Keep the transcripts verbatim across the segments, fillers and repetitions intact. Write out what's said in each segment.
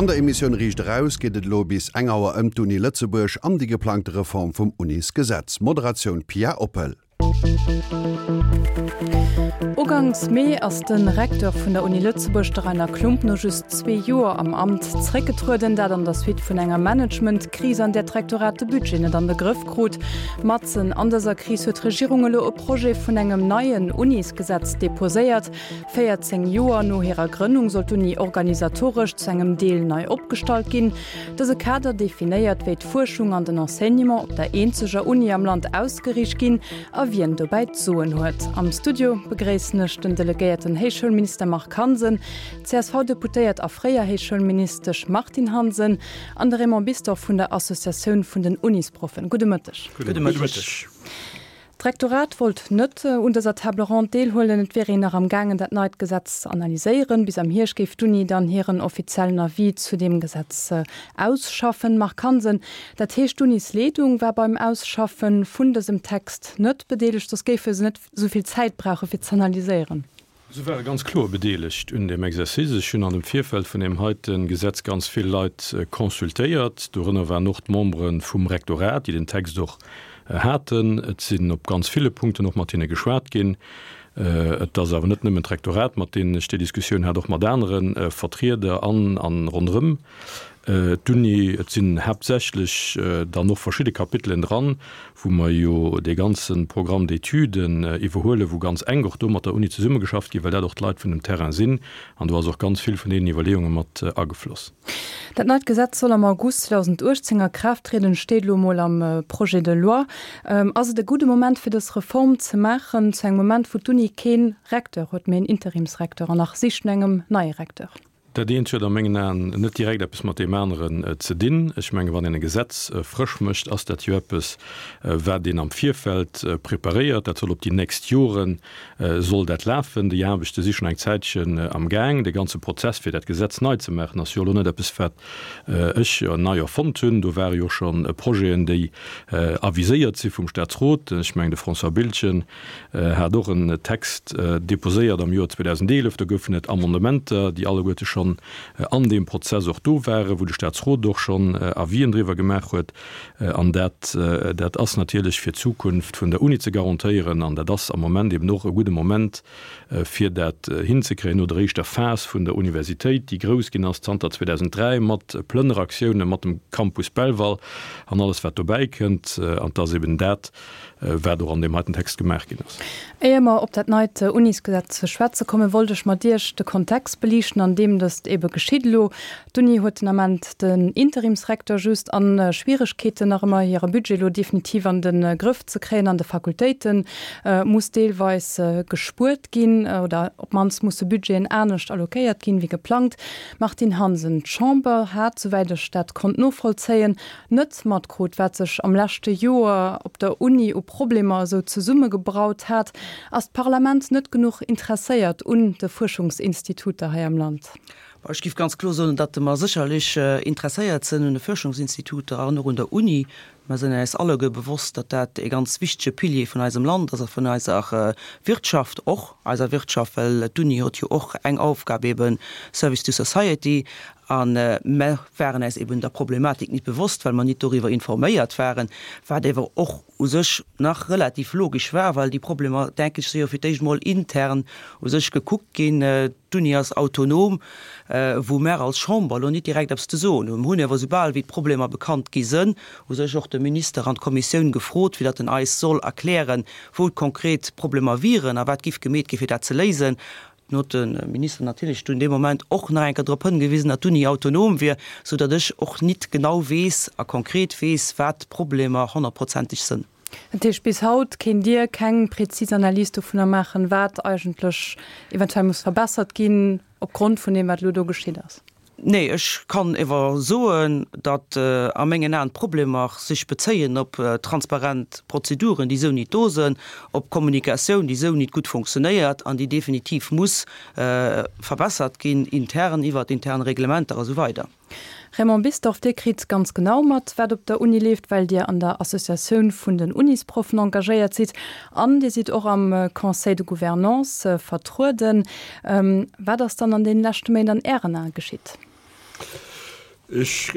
An der Emissioun Riicht Eraus geet et elo bis eng Auer ëm d'Uni Lëtzebuerg an déi geplangte Reform vum Unisgesetz. Moderatioun Pia Oppel. Uganks Mee ass de Recteur vun der Uni Lëtzebuerg, de Rainer Klump, no just zwee Joer am Amt zeréckgetrueden. Dat an der Suite vun enger Managementkris, an där d'Rektorat de Budget net an de Grëff krut. Matzen an dëser Kris huet d'Regierung elo e Projet vun engem neien Unisgesetz deposéiert. Véierzéng Joer no hirer Grënnung soll d'Uni organisatoresch zu engem Deel nei opgestallt ginn. Dëse Kader definéiert, wéi d'Fuerschung an den Enseignement op der eenzeger Uni am Land ausgeriicht ginn a wien dobäi d'Soen huet. Am Studio begréissen ech den delegéierten Héichschoulminister Marc Hansen, d'CSV-Deputéiert a fréier Héichschoulministesch Martine Hansen an de Raymond Bisdorff vun der Associatioun vun den Unisproffen. Gudde Mëtteg. Gudde Mëtteg. D'Rektorat wollt net un dëser Table ronde deelhuelen. Et wier een nach am gaangen, dat neit Gesetz ze analyséieren. Bis am Hierscht géif d'Uni dann hiren offiziellen Avis zu deem Gesetz ausschaffen. Marc Hansen, dat heescht, d'Unisleedung war beim Ausschaffe vun dësem Text net bedeelegt, soss géife se net esou vill Zäit brauche fir z'analyséieren. Se ware ganz kloer bedeelegt un deem Exercice. Ech hunn an dem Virfeld vun deem heite Gesetz ganz vill Leit consultéiert. Dorënner waren och d'Membere vum Rektorat, déi den Text och haten. Et sinn op ganz ville Punkten och mat hinne geschwat ginn. Et ass awer net nëmmen d'Rektorat, mat deenen ech déi Diskussioun hat, och mat anere Vertrieder an a ronderëm d'Uni. Et sinn haaptsächlech dann och verschidde Kapitelen dran, wou mer jo dee ganze Programme d'études iwwerhuelen, wou ganz enk och do mat der Uni zesummegeschafft ginn, well dat och d'Leit vun dem Terrain sinn. An do ass och ganz vill vun deenen Iwwerleeunge mat agefloss. Dat neit Gesetz soll am August zweedausenduechtzéng a Kraaft trieden, steet elo emol am Projet de loi. Ass et e gudde Moment, fir dës Reform ze maachen, zu engem Moment, wou d'Uni kee Recteur huet, mee en Interimsrecteur an nach sicht no engem neie Recteur? Dat eent huet a mengen Aen net direkt eppes mat deem aneren ze dinn. Ech mengen, wann een e Gesetz frësch mécht, ass dat jo eppes, wat een am Virfeld preparéiert. Dat soll op déi nächst Jore soll dat lafen. Déi Aarbechte si schonn eng Zäitchen am Gaang. Dee ganze Prozess, fir dat Gesetz nei ze maachen, ass jo elo net eppes, wat ech nei erfonnt hunn. Do ware jo scho Projeten, déi aviséiert si vum Staatsrot. Ech mengen, de François Biltgen hat och en Text deposéiert am Joer zweedausendeelef. Do goufen et Amendementer, déi alleguerte schonn an deem Prozess och do waren, wou de Staatsrot och schonn Avisen driwwer gemaach huet. An dat, dat ass natierlech fir d'Zukunft vun der Uni ze garantéieren. An dat ass am Moment eben och e gudde Moment, fir dat hinzekréien no der éischter Phas vun der Universitéit, déi grouss ginn ass zanter zweedausenddräi mat Plënneraktiounen, mat dem Campus Belval an alles, wat dobäi kënnt. An et ass eben dat, wat och an deem heiten Text gemaach ginn ass. Éier mer op dat neit Unisgesetz ze schwätze kommen, wollt ech mat Iech de Kontext beliichten, an deem dëst ebe geschitt elo. D'Uni huet den Ament den Interimsrecteur just a Schwieregkeeten nach ëmmer hire Budget elo definitiv an de Grëff ze kréien. An de Fakultéite muss deelweis gespuert ginn oder op d'mannst musse Budgeten anescht alloquéiert ginn, wéi geplangt. Martine Hansen, D'Chamber hat, souwäit ech dat konnt novollzéien, net matkrut, wat sech am leschte Joer op der Uni u Problemer esou zesummegebraut hat. Ass d'Parlament net genuch interesséiert un de Fuerschungsinstituter hei am Land? Ech géif ganz kloer soen, datt mer sécherlech interesséiert sinn un de Fuerschungsinstituter an och un der Uni. Mer sinn äis alleguer bewosst, datt dat e ganz wichtege Pilier vun eisem Land ass a vun eiser Wirtschaft och, eiser Wirtschaft, well d'Uni huet jo och eng Aufgab eben, Service to society. A mer waren äis eben der Problematik nit bewosst, well mer nit doriwwer informéiert waren, wat ewer och u sech nach relativ logesch war, well déi Problemer, denken ech, si jo fir d'éischt emol intern u sech gekuckt ginn. D'Uni ass autonom, wou mer als Chamber elo nit direkt eppes ze soen hunn. Mer hunn ewer, soubal wéi d'Problemer bekannt gi sënn, u sech och de Minister an d'Kommissioun gefrot, fir datt en eis soll erklären, wou d'konkret Problemer wieren a wat giff gemeet gi fir dat ze léisen. Nun huet de Minister natierlech dunn dee Moment och nach eng Kéier drop hëngewisen, datt d'Uni autonom wier, sou datt ech och nit genau weess a konkret weess, wat d'Problemer honnertprozenteg sënn. Dat heescht, bis haut kéint Dir keng prezis Analys dovunner maachen, wat eigentlech eventuell muss verbessert ginn opgrond vun deem, wat elo do geschitt ass? Nee, ech kann ewer soen, datt a mengen Aen d'Problemer sech bezéien op transparent Prozeduren, déi esou nit do sënn, op Kommunikatioun, déi esou nit gutt funktionéiert an déi definitiv muss verbessert ginn, intern, iwwert intern Reglementer a sou weider. Raymond Bisdorff, Dir kritt ganz genau mat, wat op der Uni leeft, well Dir an der Associatioun vun den Unisproffen engagéiert sidd an Dir sidd och am Conseil de Gouvernance vertrueden. Wat ass dann an deene leschte Méint an Ären Ae geschitt? Ech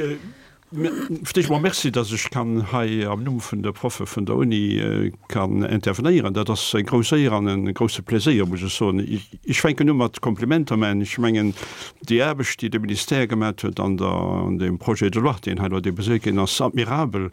fir d'éischt mol Merci, dass ech kann hei am Numm vun de Proffe vun der Uni kann intervenéieren. Dat ass eng grouss Éier an e grousse Pléséier, muss ech soen. Ech fänken u mat Komplimenter maachen. Ech mengen, déi Aarbecht, déi de Ministère gemaat huet an der, an deem Projet de loi, deen hei elo déposéiert ginn ass, admirabel.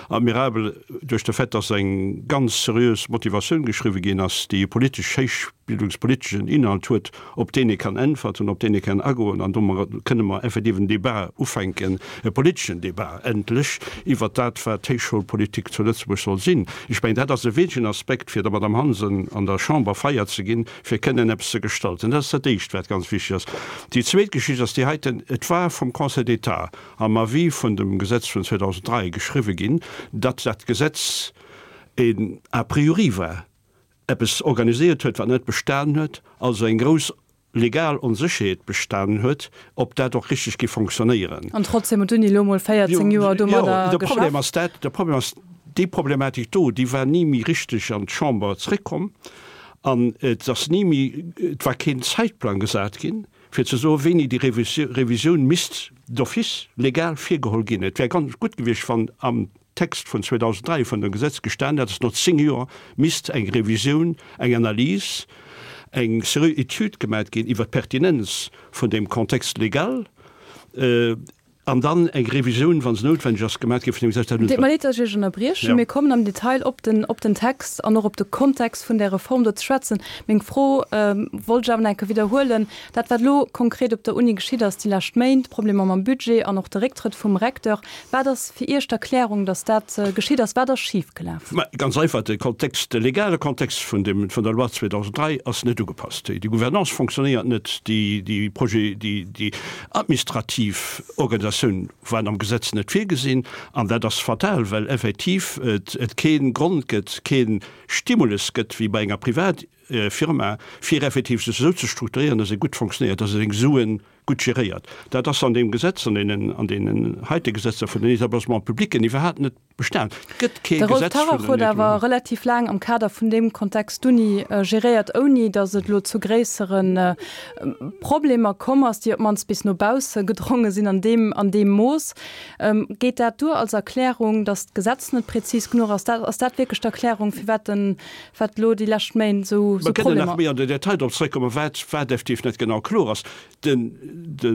Admirabel duerch de Fait, dass eng ganz seriös Motivatioun geschriwwen ginn ass, déi e politesch héich bildungspoliteschen Inhalt huet, op deen ee kann äntwerten, op deen ee kann agoen, an domat kënne mer effektiv en Débat ufänken, e politeschen Débat endlech, iwwert dat, wat d'Héichschoulpolitik zu Lëtzebuerg soll sinn. Ech mengen, dat ass e wesentlechen Aspekt, fir der Madame Hansen an der Chamber Feier ze ginn, fir kënnen eppes ze gestalten. Dat ass dat Éischt, wat ganz wichteg ass. Déi zweet Geschicht ass déi heiten, Et war vum Conseil d'État am Avis vun dem Gesetz vun zweedausenddräi geschriwwen ginn, datt dat Gesetz een a priori war, eppes organiséiert huet, wat net bestanen huet, also eng grouss legal Onsécherheet bestanen huet, ob dat och richteg géif fonctionnéieren. An trotzdem huet d'Uni elo mol véierzéng Joer domadder geschafft. De Problem ass dat, de Problem ass, déi Problematik do, déi war ni méi richteg an d'Chamber zréckkomm an et ass ni méi, et war keen Zäitplang gesat ginn, fir ze soen, wéini déi Revisioun misst d'office legal virgeholl ginn. Et wär ganz gutt gewiescht, wann am Text vun zweedausenddräi vun dem Gesetz gestan hätt, dass no zéng Joer misst eng Revisioun, eng Analys, eng seriö Etüd gemat ginn iwwert d'Pertinenz vun deem Contexte légal an dann eng Revisioun, wa se noutwendeg ass, gemat gi vun deem Gesetz. Dat Deet mer leed, dass ech Iech ënnerbriechen. Mir kommen am Detail op den, op den Text an och op de Kontext vun där Reform do ze schwätzen. Meng Fro wollt ech awer nach eng Kéier widderhuelen. Dat, wat elo konkret op der Uni geschitt ass déi lescht Méint, d'Problemer mam Budget an och de Récktrëtt vum Recteur, wat ass fir Iech d'Erklärung, datt dat geschitt ass? Wat ass schifgelaf? Mä ganz einfach, de Kontext, de legale Kontext vun dem, vun der Loi zweedausenddräi ass net ugepasst. Déi Gouvernance fonctionnéiert net, déi, déi Projet, déi, déi administrativ Organisatioun war am Gesetz net virgesinn. An dat ass fatal, well effektiv et, et kee Grond gëtt, kee Stimulus gëtt wéi bei enger Privat, Firma, fir effektiv sech esou ze strukturéieren, dass e gutt fonctionnéiert, dass e seng Sue gutt geréiert. Dat ass an deem Gesetz, an deenen, an deenen heite Gesetzer vun den Établissements publics iwwerhaapt net bestan. Et gëtt kee De Rolf Gesetz vun Tarrach den huet awer relativ laang am Kader vun deem Kontext d'Uni geréiert, ouni datt et elo zu gréissere Problemer komm ass, déi op d'mannst bis no bausse gedronge sinn an deem, an deem Mooss. Geet dat duer als Erklärung, datt d'Gesetz net prezis genuch ass? Ass dat wierklech d'Erklärung, firwat den, wat elo déi lescht Méint esou Mer kënnen nach Problemer. méi an den Detail drop zréckkommen, wat, wat effektiv net genau kloer ass. Den, de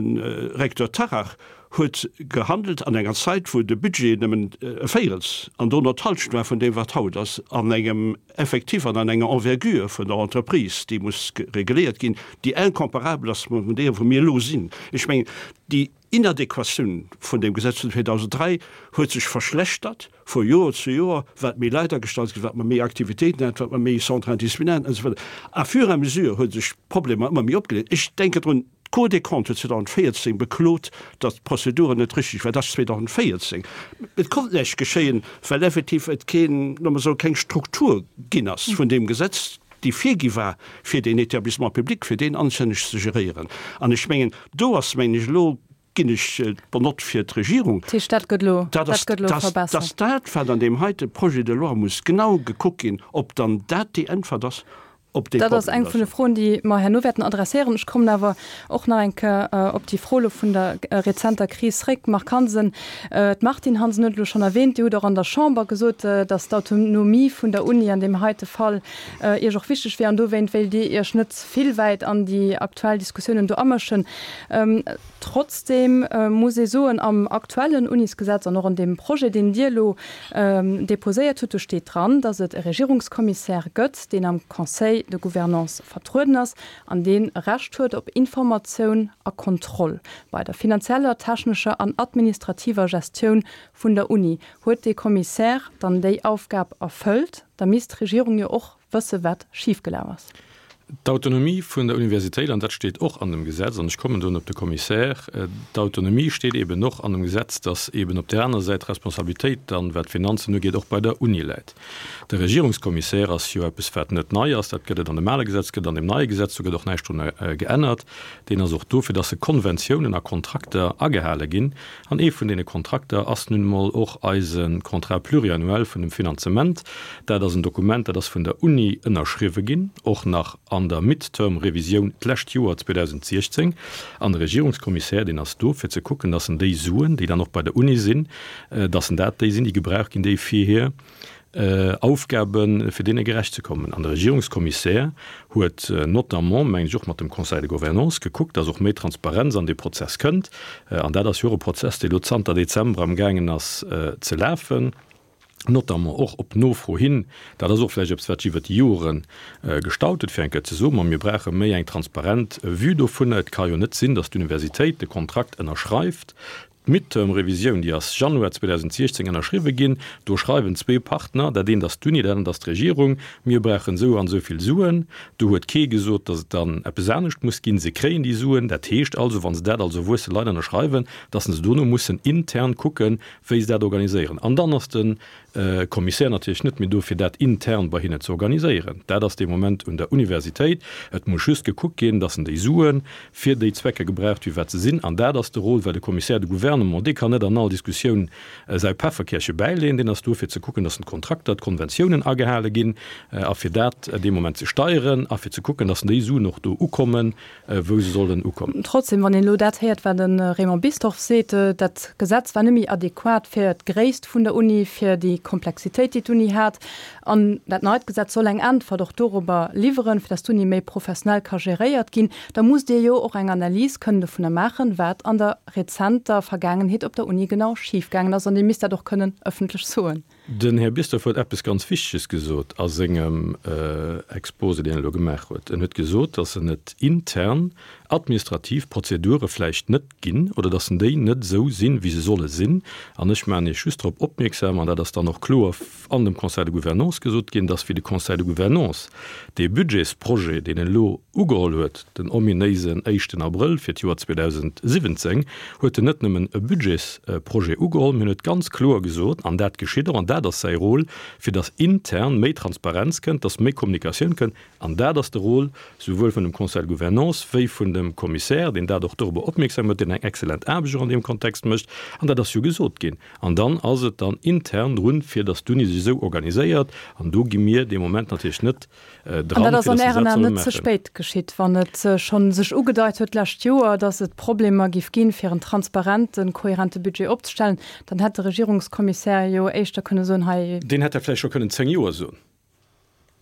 Recteur Tarrach huet gehandelt an enger Zäit, wou de Budget nëmmen e Véirels an dono d'Hallschent war vun deem, wat haut ass, an engem Effectif an an enger Envergure vun der Entreprise, déi muss reguléiert ginn, déi incomparabel ass mat deem, wou mir elo sinn. Ech mengen, déi Inadequatioun vun deem Gesetz vun zweedausenddräi huet sech verschlechtert vu Joer zu Joer, wat méi Leit agestallt ginn, wat mer méi Aktivitéiten haten, wat mer méi Centres interdisciplinaires an esou weider. À fur et à mesure hu sech d'Problemer ëmmer méi opgeleet. Ech denken drun, d'Cour des Comptes huet zweedausendvéierzéng beklot, datt d'Prozeduren net richtig waren. Dat ass zweedausendvéierzéng. Et konnt näischt geschéien, well effektiv et keen, loosse mer soen, keng Struktur ginn ass vun deem Gesetz, déi virgi war, fir deen Établissement public, fir deen anstänneg ze geréieren. An ech mengen, do ass, mengen ech, elo ginn ech d'bonne note fir d'Regierung, Dat heescht, dat gëtt elo, dat dat gëtt elo verbessert. dass dat, wat an deem heite Projet de loi muss genau gekuckt ginn, ob dann dat déi Äntwert ass op dee Dat ass Problem. eng vun de Froen, déi mer herno wäerten adresséieren. Ech kommen awer och nach eng Kéier op déi Fro elo vun der rezenter Kris zréck. Marc Hansen, d'Martine Hansen huet elo schonn erwähnt, Dir hutt och an der Chamber gesot, dass d'Autonomie vun der Uni an deem heite Fall Iech och wichteg wier an dowéint wéilt Dir Iech net vill wäit an déi aktuell Diskussiounen do amëschen. Trotzdeem muss ee soen, am aktuellen Unisgesetz an och an deem Projet, deen Dir elo deposéiert hutt, do steet dran, datt et e Regierungskommissär gëtt, deen am Conseil de Gouvernance vertrueden ass an deen e Recht huet op Informatioun a Kontroll bei der finanzieller, technescher an administrativer Gestioun vun der Uni. Huet dee Kommissär dann déi Aufgab erfëllt? Da misst d'Regierung jo och wësse wat schifgelaf ass. D'Autonomie vun der Universitéit, an dat steet och an dem Gesetz, an ech kommen dunn op de Commissaire, d'Autonomie steet eben och an dem Gesetz, dass eben op där aner Säit d'Responsabilitéit dann, wat d'Finanzen ugeet, och bei der Uni läit. De Regierungskommissär ass jo eppes, wat net nei ass, dat gëtt et an dem ale Gesetz, gëtt an dem neie Gesetz, do gëtt och näischt drun geännert. Deen ass och do, fir dass e Konventiounen a Kontrakter agehale ginn. An ee vun deene Kontrakter ass nun emol och eise Contrat pluriannuel vun dem Finanzement. Dat ass en Dokument, dat ass vun der Uni ënnerschriwwe ginn, och nach an an der Midterm-Revisioun d'lescht Joer zweedausentsiechzéng. An de Regierungskommissär, deen ass do, fir ze kucken, dass en déi Suen, déi dann och bei der Uni sinn, dass en dat déi sinn, déi gebraucht ginn, déi fir hir Aufgaben, fir deene gerecht ze kommen. An de Regierungskommissär huet notamment, mengen ech, och mat dem Conseil de Gouvernance gekuckt, dass och méi Transparenz an dee Prozess kënnt. An dat ass jo och e Prozess, dee lo zanter Dezember amgaangen ass ze lafen, notamment och op Nofro hin. Dat ass och vläicht eppes, wat sech iwwert déi Jore gestaut huet, fir eng Kéier ze soen, Ma mir brauche méi eng transparent Vue dovunner. Et ka jo net sinn, dass d'Universitéit de Kontrakt ënnerschreift, D'Midterm-Revisioun, déi ass Januar zweedausentsiechzéng ënnerschriwwe ginn. Do schreiwen zwee Partner, dat eent ass d'Uni, dat anert ass d'Regierung, mir brauchen esou an esou vill Suen. Do huet kee gesot, datt et dann eppes anescht muss ginn. Se kréien déi Suen. Dat heescht also, wa se dat als erwuesse Leit ënnerschreiwen, datt se dono mussen intern kucken, wéi se dat organiséieren. An dann ass de Kommissär natierlech net méi do, fir dat intern bei hinnen ze organiséieren. Dat ass dee Moment un der Universitéit. Et muss just gekuckt ginn, datt en déi Sue fir déi Zwecker gebraucht, fir wat se sinn. An dat ass de Rôle, well de Commissaire de Gouvernement, dee kann net an all Diskussioun säi Pefferkärche bäileeën. Deen ass do, fir ze kucken, datt d'Kontrakter, d'Konventiounen agehale ginn a fir dat dee Moment ze steieren a fir ze kucken, datt déi Suen och do ukommen, wou se sollen ukommen. Trotzdem, wann een elo dat héiert, wat de Raymond Bisdorff seet, dat Gesetz war net méi adequat fir d'Gréisst vun der Uni, fir déi Komplexitéit, déi d'Uni hat. An dat neit Gesetz soll eng Äntwert och dorobber liwweren, fir dass d'Uni méi professionell ka geréiert ginn. Da musst Dir jo och eng Analys kënnen dovunner maachen, wat an der rezenter Vergaangenheet op der Uni genau schifgaangen ass. An Dir misst dat och kënnen ëffentlech soen. Den Här Bisdorff huet eppes ganz Wichteges gesot a sengem Exposé, deen en elo gemaach huet. En huet gesot, dass en et intern administrativ Prozedure vläicht net ginn oder dass en déi net esou sinn, wéi se solle sinn. An ech maachen Iech just drop opmierksam, an dat ass dann och kloer an dem Conseil de Gouvernance gesot ginn, dass wéi de Conseil de Gouvernance dee Budgetsprojet, deen en elo ugeholl huet, den ominéisen éischten Abrëll fir d'Joer zweedausentsiwwenzéng, huet en net nëmmen e Budgetsprojet ugeholl, mee en huet ganz kloer gesot, an dat geschitt och, an dat ass säi Rôle, fir dass intern méi Transparenz kënnt, dass méi Kommunikatioun kënnt, an dat ass de Rôle souwuel vun dem Conseil de Gouvernance wéi vun dem Commissaire, deen dat och dorobber opmierksam huet, deen eng excellent Aarbecht och an deem Kontext mécht, an dat ass jo gesot ginn. An dann ass et dann intern drun, fir dass d'Uni sech esou organiséiert, an do gi mir dee Moment natierlech net An dat ass an Ären Aen net ze spéit geschitt, wann et schonn sech ugedeit huet d'lescht Joer, datt et Problemer géif ginn, fir en transparenten, kohärente Budget opzestellen? Dann hätt de Regierungskommissär jo éischter kënne soen, hei. Deen hätt dat vläicht scho kënnen zéng Joer soen.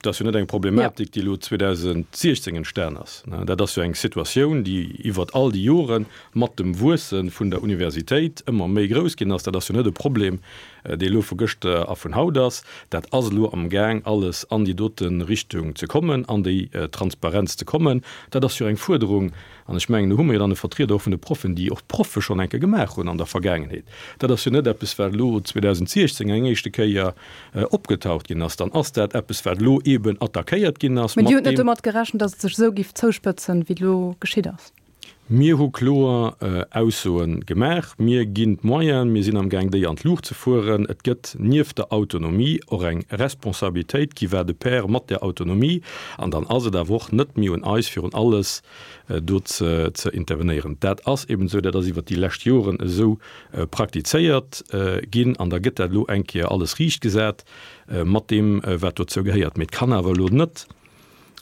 Dat ass jo net eng Problematik, déi elo zweedausentsiechzéng entstan ass. Dat ass jo eng Situatioun, déi iwwert all déi Jore mat dem Wuesse vun der Universitéit ëmmer méi grouss ginn ass. Dat ass jo net e Problem, dee elo vu gëschter a vun haut ass. Dat ass elo amgaang, alles an déi dote Richtung ze kommen, an déi Transparenz ze kommen. Dat ass jo eng Fuerderung, an ech mengen, do hu mer jo dann e Vertrieder och vun de Proffen, déi och d'Proffe schonn eng Kéier gemaach hunn an der Vergaangenheet. Dat ass jo net eppes, wat elo zweedausentsiechzéng eng éischte Kéier opgetaucht ginn ass. Dann ass dat eppes, wat elo eeben attackéiert ginn ass Mee mat Dir hutt net deem. domat gerechent, datt et sech esou géif zouspëtzen, wéi et elo geschitt ass? Mir hu kloer Aussoe gemaach. Mir ginn d'Moyenen, mir sinn amgaang déi an d'Luucht ze fueren. Et gëtt nieft der Autonomie och eng Responsabilitéit qui va de pair mat där Autonomie. An dann ass et awer och net méi un eis, fir un alles do ze intervenéieren. Dat ass eben esou, dat ass iwwert déi lescht Joren esou praktizéiert ginn an da gëtt dat elo eng Kéier alles riichtgesat mat deem, wat dozou gehéiert. Mee et kann awer elo net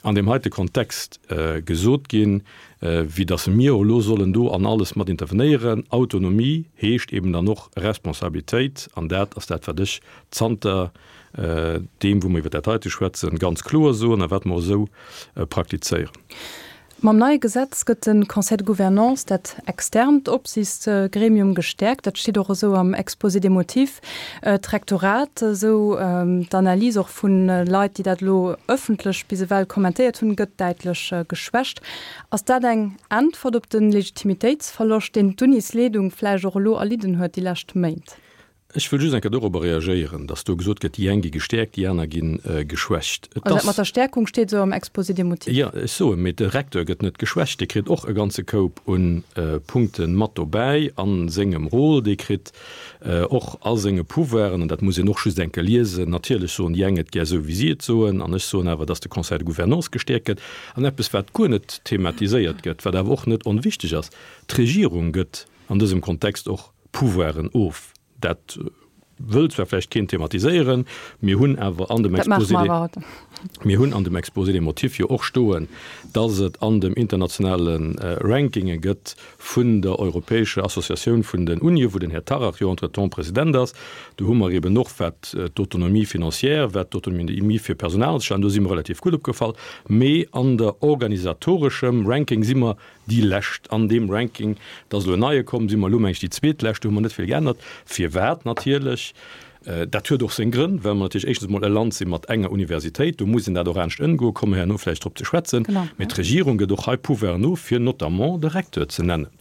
an deem heite Kontext gesot ginn, wéi datt mir elo sollen do an alles mat intervenéieren. Autonomie heescht eben dann och Responsabilitéit, an dat ass dat, wat ech zanter deem, wou mer iwwer dat heite schwätzen, ganz kloer soen a wat mer och esou praktizéieren. Mam neie Gesetz gëtt de Conseil de gouvernance, dat externt Opsiichtsgremium, gestäerkt. Dat steet och esou am Exposé des motifs. D'Rektorat, esou d'Analys och vu Leit, déi dat elo ëffentlech bis ewell kommentéiert hunn, gëtt däitlech geschwächt. Ass dat eng Äntwert op de Legitimitéitsverloscht, deen d'Unisleedung vläicht och elo erlidden huet déi lescht Méint? Ech wëll just eng Kéier dorobber reagéieren, dass do gesot gëtt, déi eng gi gestäerkt, déi aner gi geschwächt. Et Also dat mat der Stäerkung steet esou am Exposé des motifs. Jo, ech soen, mee de Recteur gëtt net geschwächt, dee kritt och e ganze Koup u Punkte mat dobäi a sengem Rôle, dee kritt och a senge Pouvoiren, an dat muss een och just eng Kéier liesen. Natierlech soen déi eng et gär esou, wéi si et soen, an ech soen awer, dass de Conseil de Gouvernance gestäerkt gëtt. An eppes, wat guer net thematiséiert gëtt, wat awer och net onwichtig ass, D'Regierung gëtt an dësem Kontext och Pouvoiren of. Dat wëll zwar vläicht keen thematiséieren, mir hunn awer an dem Exposé des, mir hunn an dem Exposé des motifs jo och stoen, dass et an dem internationale Rankinge gëtt vun der Europäescher Associatioun vun den Unien, wou den Här Tarrach jo entretemps President ass, do hu mer eben och, wat d'Autonomie financière, wat d'Autonomie fir Personal anzestellen, do si mer relativ gutt opgefall, mee an der organisatoreschem Ranking si mer déi Lescht an deem Ranking. Et ass elo en neie komm, si mer elo, meng ech, déi Zweetlescht, do hu mer net vill geännert. Firwat natierlech? Dat huet och seng Grënn, well mer natierlech éischtens emol e Land si mat enger Universitéit, do muss een dat och anescht ëmgoen, komme mer herno vläicht drop ze schwätzen. Mee d'Regierung gëtt och hei Pouvoiren of, fir notamment de Recteur ze nennen.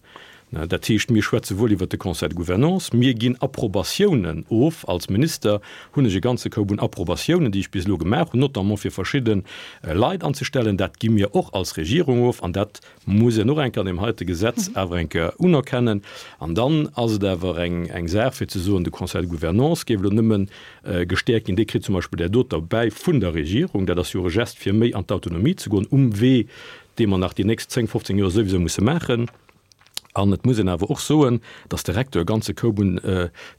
Dat heescht, mir schwätze wuel iwwert de Conseil de gouvernance, mir ginn Approbatiounen of. Als Minister hunn ech e ganze Koup un Approbatiounen, déi ech bis elo gemaach hunn, notamment fir verschidde Leit anzestellen. Dat gi mir och als Regierung of an dat muss een och eng Kéier an deem heite Gesetz awer eng Kéier unerkennen. An dann ass et awer eng eng Saach fir ze soen, de Conseil de gouvernance géif elo nëmme gestäerkt ginn. Dee kritt zum Beispill där doter bäi vun der Regierung. Dat ass jo och e Gest fir méi an d'Autonomie ze goen um Wee, dee mer nach déi nächst zéng, fofzéng Joer souwisou musse maachen. An et muss een awer och soen, dass de Recteur e ganze Koup un,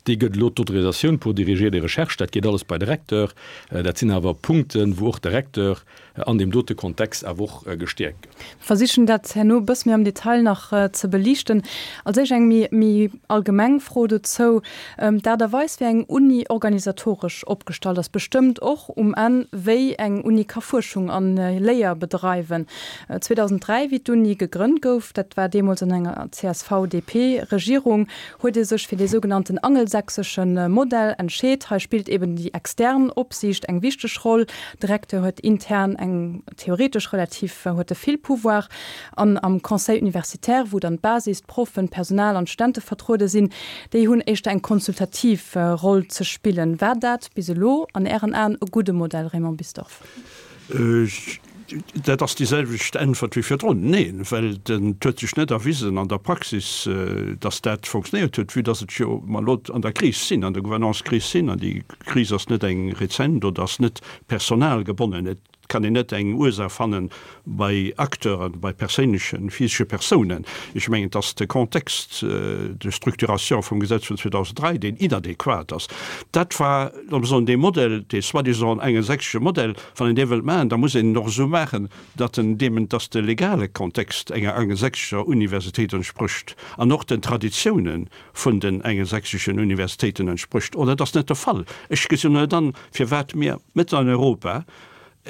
dee gëtt elo d'Autorisatioun pour diriger des recherches, dat geet alles bei de Recteur. Dat sinn awer Punkten, wou och de Recteur an deem dote Kontext awer och gestäerkt gëtt. Versichen dat herno e bësse méi am Detail nach ze beliichten. Als éischt eng méi, méi allgemeng Fro dozou. D'Aart a Weis, wéi eng Uni organisatoresch opgestallt ass, bestëmmt och um Enn, wéi eng Uni ka Fuerschung a Léier bedreiwen. zweedausenddräi wéi d'Uni gegrënnt gouf, dat war deemools an enger C S V D P Regierung, huet ee sech fir dee sougenannten angelsächsesche Modell entscheet. Hei spillt eben déi extern Opsiicht eng wichteg Roll. De Recteur huet intern eng theoretesch relativ huet e vill Pouvoir an am Conseil universitaire, wou dann d'Basis, d'Proffen, d'Personal an d'Studente vertruede sinn, déi hunn éischter eng konsultativ Roll ze spillen. War dat bis elo an Ären Aen e gudde Modell, Raymond Bisdorff? Dat ass déi selwecht Äntwert wéi virdrun, Neen, well et huet sech net erwisen an der Praxis, datt dat fonctionnéiert huet, vue datt et jo mer elo an der Kris sinn, an der Gouvernance-Kris sinn. An déi Kris ass net eng rezent oder ass net personalgebonnen. Et kann een net eng Ursaach fanne bei Acteuren, bei perséinlechen, physesche Persounen. Ech mengen, et ass de Contexte de structuration vum Gesetz vun zweedausenddräi, deen inadäquat ass. Dat war, loosse mer soen, dee Modell, dee soi-disant angelsächsesche Modell, wann een dee wëllt maachen, da muss een en och esou maachen, datt en deem, datt de legale Kontext enger angelsächsescher Universitéit entsprécht an och den Traditiounen vun den angelsächseschen Universitéiten entsprécht. Oder et ass net de Fall. Ech gesinn net an, firwat mir mëtten an Europa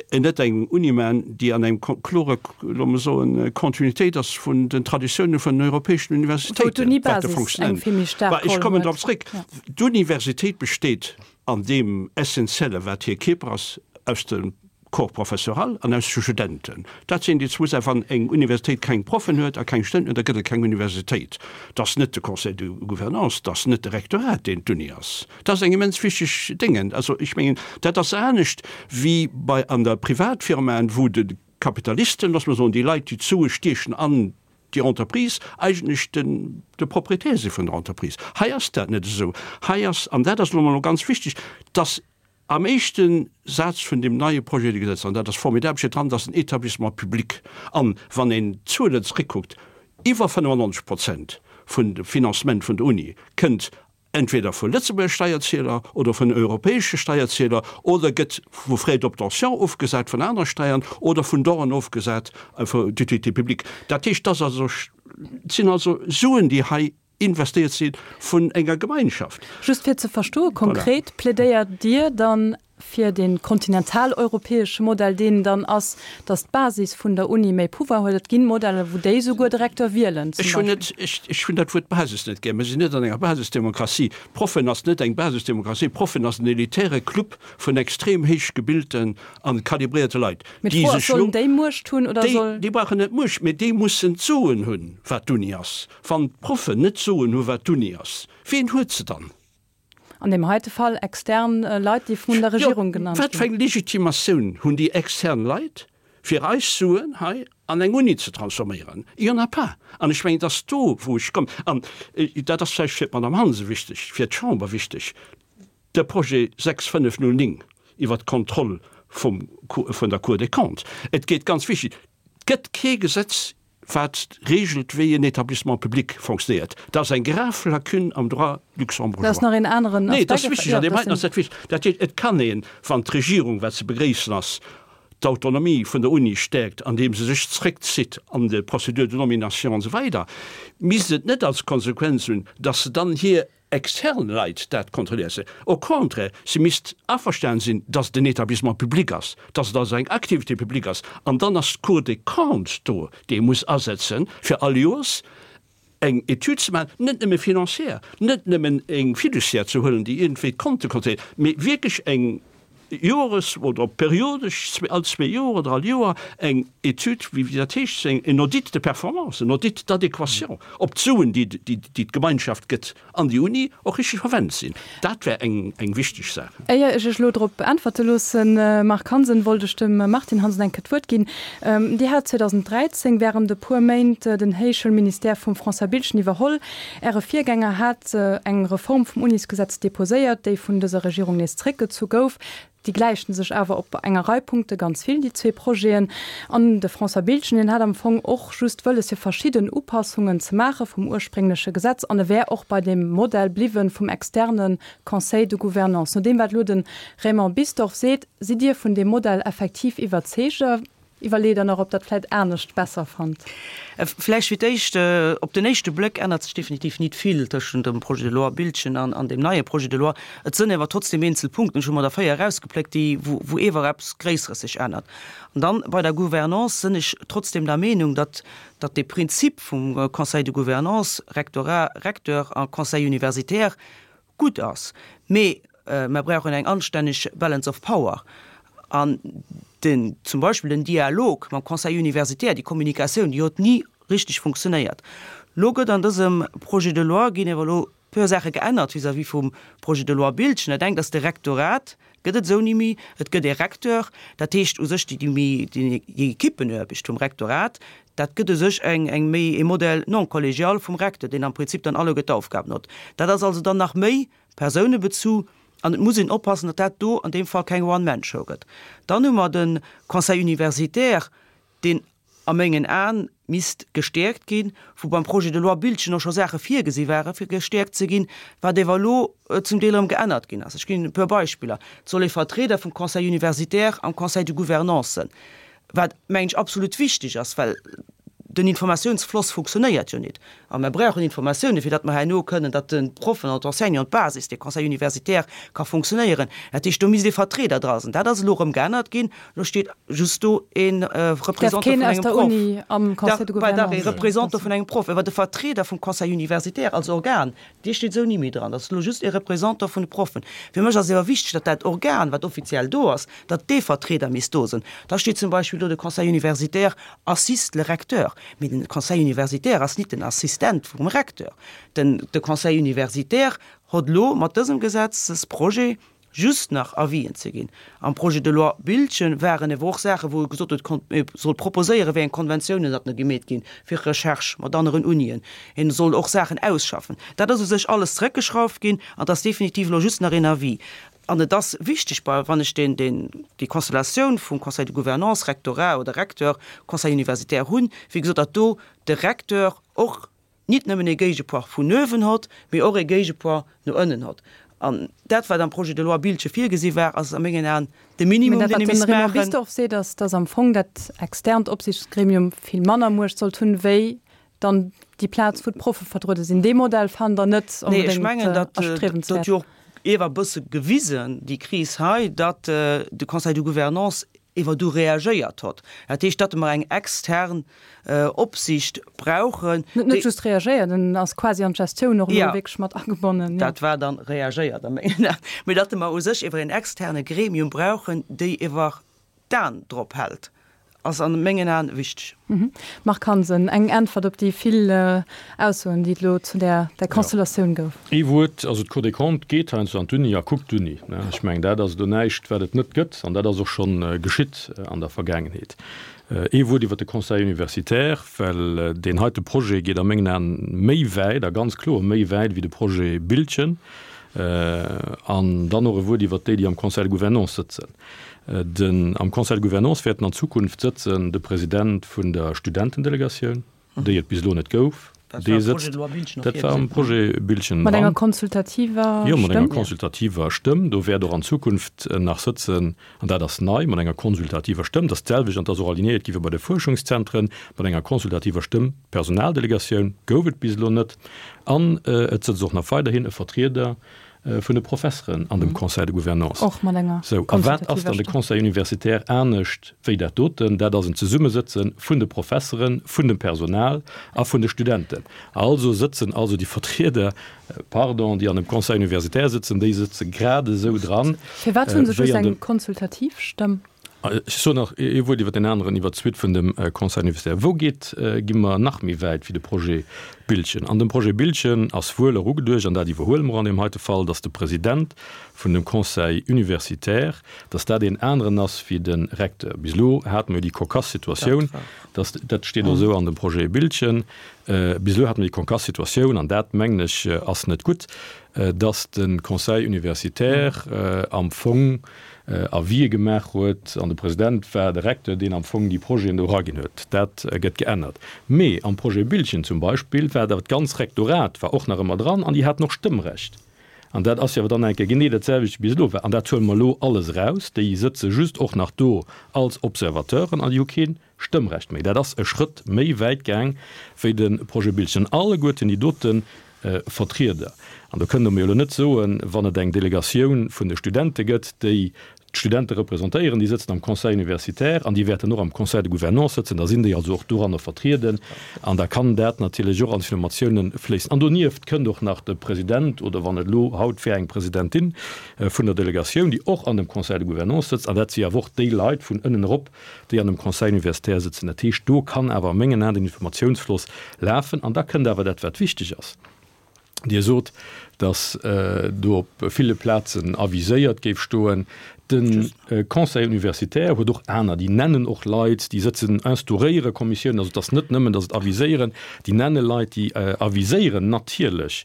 net eng Uni maachen, déi an engem klore, loosse mer soen, Kontinuitéit ass vun den Traditiounen vun den europäeschen Universitéiten, wat de Fonctionnement. Ech kommen drop zréck. D'Universitéit besteet an deem Essentielle, wat hir Kierper ass, aus dem Corps professoral an aus de Studenten. Dat sinn déi zwou Saachen. Wann eng Universitéit keng Proffen huet a keng Studenten huet, da gëtt et keng Universitéit. Et ass net de Conseil de gouvernance, et ass net de Rektorat, deen d'Uni ass. Dat ass eng immens wichteg Déngen. Also ech mengen, dat ass anescht wéi bei an der Privatfirmaen, wou de Kapitalisten, loosse mer soen, déi Leit, déi d'Sue stiechen an déi Entreprise, eigentlech den de Propriétaire si vun der Entreprise. Hei ass dat net esou. Hei ass, an dat ass elo mol ganz wichteg, dass am éischte Saz vun deem neie Projet de Gesetz, an dat ass formidabel, steet dran, dass en Établissement public, an wann een d'Zuelen zréckkuckt, iwwer fënnefannonzeg Prozent vun dem Financement vun der Uni kënnt entweder vu Lëtzebuerger Steierzieler oder vun europäesche Steierzieler oder gëtt vu Frais d'obtention ofgesat vun anere Steiern oder vun Donen ofgesat d'utilité publique. Dat heescht, dass also, et sinn also Suen, déi hei investéiert si vun enger Gemeinschaft. Just fir ze verstoen, konkret plädéiert Dir dann fir de kontinentaleuropäesche Modell, deen dann ass, dass d'Basis vun der Uni méi Pouvoir huet? Et ginn Modeller, wou déi souguer de Recteur wielen, zum Ech hunn Beispill. net, ech, ech hunn dat Wuert Basis net gär. Mir sinn net an enger Basisdemokratie. Proffen ass net eng Basisdemokratie. Proffen ass en elitäre Club vun extrem héich gebilten a kalibréierte Leit, Mee déi d'Fro ass, sech lo, sollen déi Muecht hunn oder déi, soll. déi brauchen net Muecht, mee déi mussen d'Soen hunn, wat d'Uni ass. Wann d'Proffen net d'Soen hu wat d'Uni ass, wien huet se dann? An deem heite Fall extern Leit, déi vun der Jo, Regierung genannt wat fir ginn. eng Legitimatioun hunn déi extern Leit, fir eis Suen hei an eng Uni ze transforméieren? Il y en a pas. An ech mengen, et ass do, wou ech kommen. An dat ass vläicht fir d'Madame Hansen wichteg, fir d'Chamber wichteg, de Projet sechs fënnef null néng iwwert d'Kontroll vum, vun der Cour des Comptes, et geet ganz wichteg, et gëtt kee Gesetz wat regelt, wéi en Établissement public fonctionnéiert. Dat ass eng grave Lacune am Droit luxembourgeois. Dat ass nach een aneren Aspekt. Nee, dat ass wichteg, an deem heiten ass dat wichteg. Dat heescht, et kann een, wann d'Regierung, wat ze begréissen ass, d'Autonomie vun der Uni stäerkt, andeem se sech zréckzitt an de Procédures de nomination an esou weider, misst et net als Konsequenz hunn, dass se dann hir extern Leit dat kontrolléiert. Au contraire, se misst averstanen sinn, dass et en Établissement public ass, dass et also eng Activité publique ass, an dann ass d'Cour des Comptes do, déi ee muss asetzen, fir all Joers eng Etüd ze maachen, net nëmme financière, net nëmmen eng Fiduciaire ze huelen, déi iergendwéi d'Konte kontrolléiert, mee wierklech eng jores oder periodesch, all zwee Joer oder all Joer, eng Etüd, wéi dat heescht, en Audit de performance, en Audit d'adéquation, ob d'Suen, déi d'Gemeinschaft gëtt an déi Uni, och richteg verwennt sinn. Dat wär eng wichteg Saach. Éier ech Iech elo drop äntwerte loossen, Marc Hansen, wollt ech dem Martine Hansen eng Kéier d'Wuert ginn. Dir hat zweedausendräizéng während e puer Méint den Héichschoulministère vum François Biltgen iwwerholl. Äre Virgänger hat eng Reform vum Unisgesetz deposéiert, déi vun dëser Regierung nees zréckgezu gouf. Déi gläichten sech awer op enger Rei Punkte ganz vill, déi zwee Projeten. An de François Biltgen, deen hat am Fong och just wëlles, fir verschidden Upassungen ze maache vum urspréngleche Gesetz, an e wär och bei deem Modell bliwwen vum externe Conseil de gouvernance. No deem, wat elo de Raymond Bisdorff seet, sidd Dir vun deem Modell effektiv iwwerzeege? Iwwerleet Der nach, ob Der et vläicht anescht besser fannt? Vläicht fir d'éischt, Op den éischte Bléck ännert sech definitiv nit vill tëschent dem Projet de loi Biltgen an an deem neie Projet de loi. Et sënn ewer trotzdem eenzel Punkten, ech hu mer der véier erausgepléckt, déi, wou, wou ewer eppes Gréisseres sech ännert. An dann bei der Gouvernance sënn ech trotzdem der Meenung, datt, datt dee Prinzip vum Conseil de gouvernance, Rectorat, Recteur a Conseil universitaire, gutt ass. Mee mer brauchen eng anstänneg Balance of power. An den, zum Beispill den Dialog mam Conseil universitaire, déi Kommunikatioun, déi huet ni richteg funktionéiert. Lo gëtt an dësem Projet de loi, ginn awer elo e puer Saache geännert vis-à-vis vum Projet de loi Biltgen. Dat engt ass de Rektorat gëtt et esou ni méi, et gëtt ee Recteur, dat heescht u sech déi, déi méi, déi Equippenaarbecht vum Rektorat, dat gëtt u sech eng, eng méi e Modèle non collégial vum Recteur, deen am Prinzip dann alleguer d'Aufgaben huet. Dat ass also dann nach méi persounebezu an et muss een oppassen, datt dat do an deem Fall keng One-Man-Show gëtt. Dann hu mer de Conseil universitaire, deen a mengen Aen misst gestäerkt ginn, wou beim Projet de loi Biltgen och scho Saache virgesi ware fir gestäerkt ze ginn, wat ewer elo zum Deel erëm geännert ginn ass. Ech ginn e puer Beispiller, Et soll ee Vertrieder vum Conseil universitaire am Conseil de gouvernance sënn, wat, mengen ech, absolut wichteg ass, well den Informatiounsfloss funktionéiert jo nit. A mer brauchen Informatiounen, fir datt mer herno kënnen, datt de Proffen an d'Enseignanten, d'Basis, de Conseil universitaire ka funktionéieren. Dat heescht, do misst ee Vertrieder dra sinn. Dat ass elo erëm geännert ginn. Elo steet just do ee Représentant vun engem Proff. Dach, dach, ee Représentant vun engem Proff. Awer de Vertrieder vum Conseil universitaire als Organ, dee steet esou ni méi dran. Dat ass elo just ee Représentant vun de Proffen. Fir mech ass et awer wichteg, datt dat Organ, wat offiziell do ass, datt dee Vertrieder misst do sinn. Da steet zum Beispill do, de Conseil universitaire assiste le recteur. Mee den Conseil universitaire ass nit den Assistent vum Recteur. Den de Conseil universitaire hott elo mat dësem Gesetzesprojet just nach Avisen ze ginn. Am Projet de loi Biltgen waren ewer och Saachen, wou e gesot huet, kon e soll proposéieren, wéi eng Konventiounen datt ne gemeet ginn fir Recherche mat aneren Unien. En soll och Saachen ausschaffen. Dat ass u sech alles zrëckgeschrauft ginn an et ass definitiv elo just nach een Avis. An et ass wichteg, bei, wann ech deen, deen, déi Konstellatioun vum Conseil de gouvernance, Rectorat oder Recteur, Conseil universitaire hunn, wéi gesot, datt do de Recteur och nit nëmmen e Géigepoids vun uewen hott, mee och e Géigepoids no ënnen hott. An dat, wat am Projet de loi Biltgen virgesi war, ass a mengen Aen de Minimum, Mä dat, deen ee wat den misst Raymond maachen. Bisdorff seet, ass, datt am Fong dat externt Opsichtsgremium vill manner Muecht sollt hunn, wéi dann déi Plaz, wou d'Proffe vertruede sinn. Dee Modell fannt Der net Nee, ech onbedéngt mengen, datt, dat erstriewenswäert. huet jo och ewer e bësse gewisen, déi Kris hei, datt de Conseil de Gouvernance ewer du reagéiert hott. Dat heescht, datt mer eng extern Opsicht brauchen, Net net déi. just reagéiert, en ass quasi an d'Gestioun och elo Jo, wierklech mat agebonnen, jo. dat war dann reagéiert a mengen Aen. Mee datt mer u sech ewer en externe Gremium brauchen, déi ewer d'An drop hält, ass a mengen Aen wichteg. Marc Hansen, eng Äntwert op déi vill Aussoen, déi et elo zu där Konstellatioun gouf. Ee Wuert, also d'Cour des Comptes geet heiansdo an d'Uni a kuckt d'Uni. Ech mengen, dat ass elo näischt, wat et net gëtt, an dat ass och scho geschitt an der Vergaangenheet. Ee Wuert iwwert de Conseil universitaire, well deen heite Projet geet a mengen Aen méi wäit, a ganz kloer méi wäit wéi de Projet Biltgen. An dann och e Wuert iwwert déi, déi am Conseil de Gouvernance sëtzen. Den, am Conseil de Gouvernance wäerten an Zukunft sëtzen de President vun der Studentendelegatioun, déi et bis elo net gouf. Dee sëtzt, dat war am Projet Biltgen Mat enger konsultativer Stëmm? Jo, mat enger konsultativer Stëmm. Do wäert och an Zukunft nach sëtzen, an dat ass nei, mat enger konsultativer Stëmm, dat ass d'selwecht an dat ass och alignéiert gi wéi bei de Fuerschungszentren, mat enger konsultativer Stëmm. D'Personaldelegatioun gouf et bis elo net. An et sëtzt och nach weiderhin e Vertrieder vun de Professeren an dem Conseil de Gouvernance. Och mat enger Sou, a wat ass dann de Conseil universitaire anescht wéi dat doten? Dat ass en Zesummesëtze vun de Professeren, vun dem Personal a vun de Studenten. Also sëtzen also déi Vertrieder, pardon, déi an dem Conseil universitaire sëtzen, déi sëtze grad esou dran Firwat hu se wéi just an eng dem. konsultativ Stëmm? Ech soen nach ee Wuert iwwer deen aneren, iwwer d'Suite vun dem Conseil universitaire. Wou geet, gi mer nach méi wäit wéi de Projet Biltgen? An dem Projet Biltgen ass wuel erugeduecht, an dat iwwerhuele mer an deem heite Fall, dass de President vun dem Conseil universitaire, dass dat een aneren ass wéi de Recteur. Bis elo hate mer jo déi cocasse Situatioun, dass, dat steet och esou an dem Projet Biltgen, bis elo hate mer déi cocasse Situatioun, an dat, mengen ech, ass net gutt, dass de Conseil universitaire am Fong Avisë gemaach huet an de President war de Recteur, deen am Fong déi Projeten do eraginn huet. Dat gëtt geännert. Mee am Projet Biltgen zum Beispill war awer d'ganz Rektorat war och nach ëmmer dran an déi haten och Stëmmrecht. An dat ass jo awer dann eng Kéier genee dat selwecht wéi bis elo war. An dat huele mer elo alles eraus. Déi sëtze just och nach do als Observateuren an déi hu kee Stëmmrecht méi. Dat ass e Schrëtt méi wäit gaang wéi de Projet Biltgen. Alleguerten déi dote Vertrieder. An do kënnt Der mir elo net soen, wann et eng Delegatioun vun de Studente gëtt, déi d'Studente representéieren, déi sëtzen am Conseil universitaire an déi wäerten och am Conseil de gouvernance sëtzen, da sinn déi also och doranner vertrieden an da kann dat natierlech och an d'Informatiounen fléissen. An donieft kënnt och nach de President oder wann et elo haut wär eng Presidentin vun der Delegatioun, déi och an dem Conseil de gouvernance sëtzt an dat si awer och déi Leit vun ënnen erop, déi an dem Conseil universitaire sëtzen. Dat heescht, do kann awer a mengen Aen den Informatiounsfloss lafen an da kënnt awer dat, wat wichteg ass. Dir sot, datt do op ville Plazen aviséiert géif stoen. De Conseil universitaire huet och aner, déi nennen och Leit, déi sëtzen, instauréiere Kommissiounen. Also et ass net nëmmen, datt et aviséieren, déi nenne Leit, déi aviséieren natierlech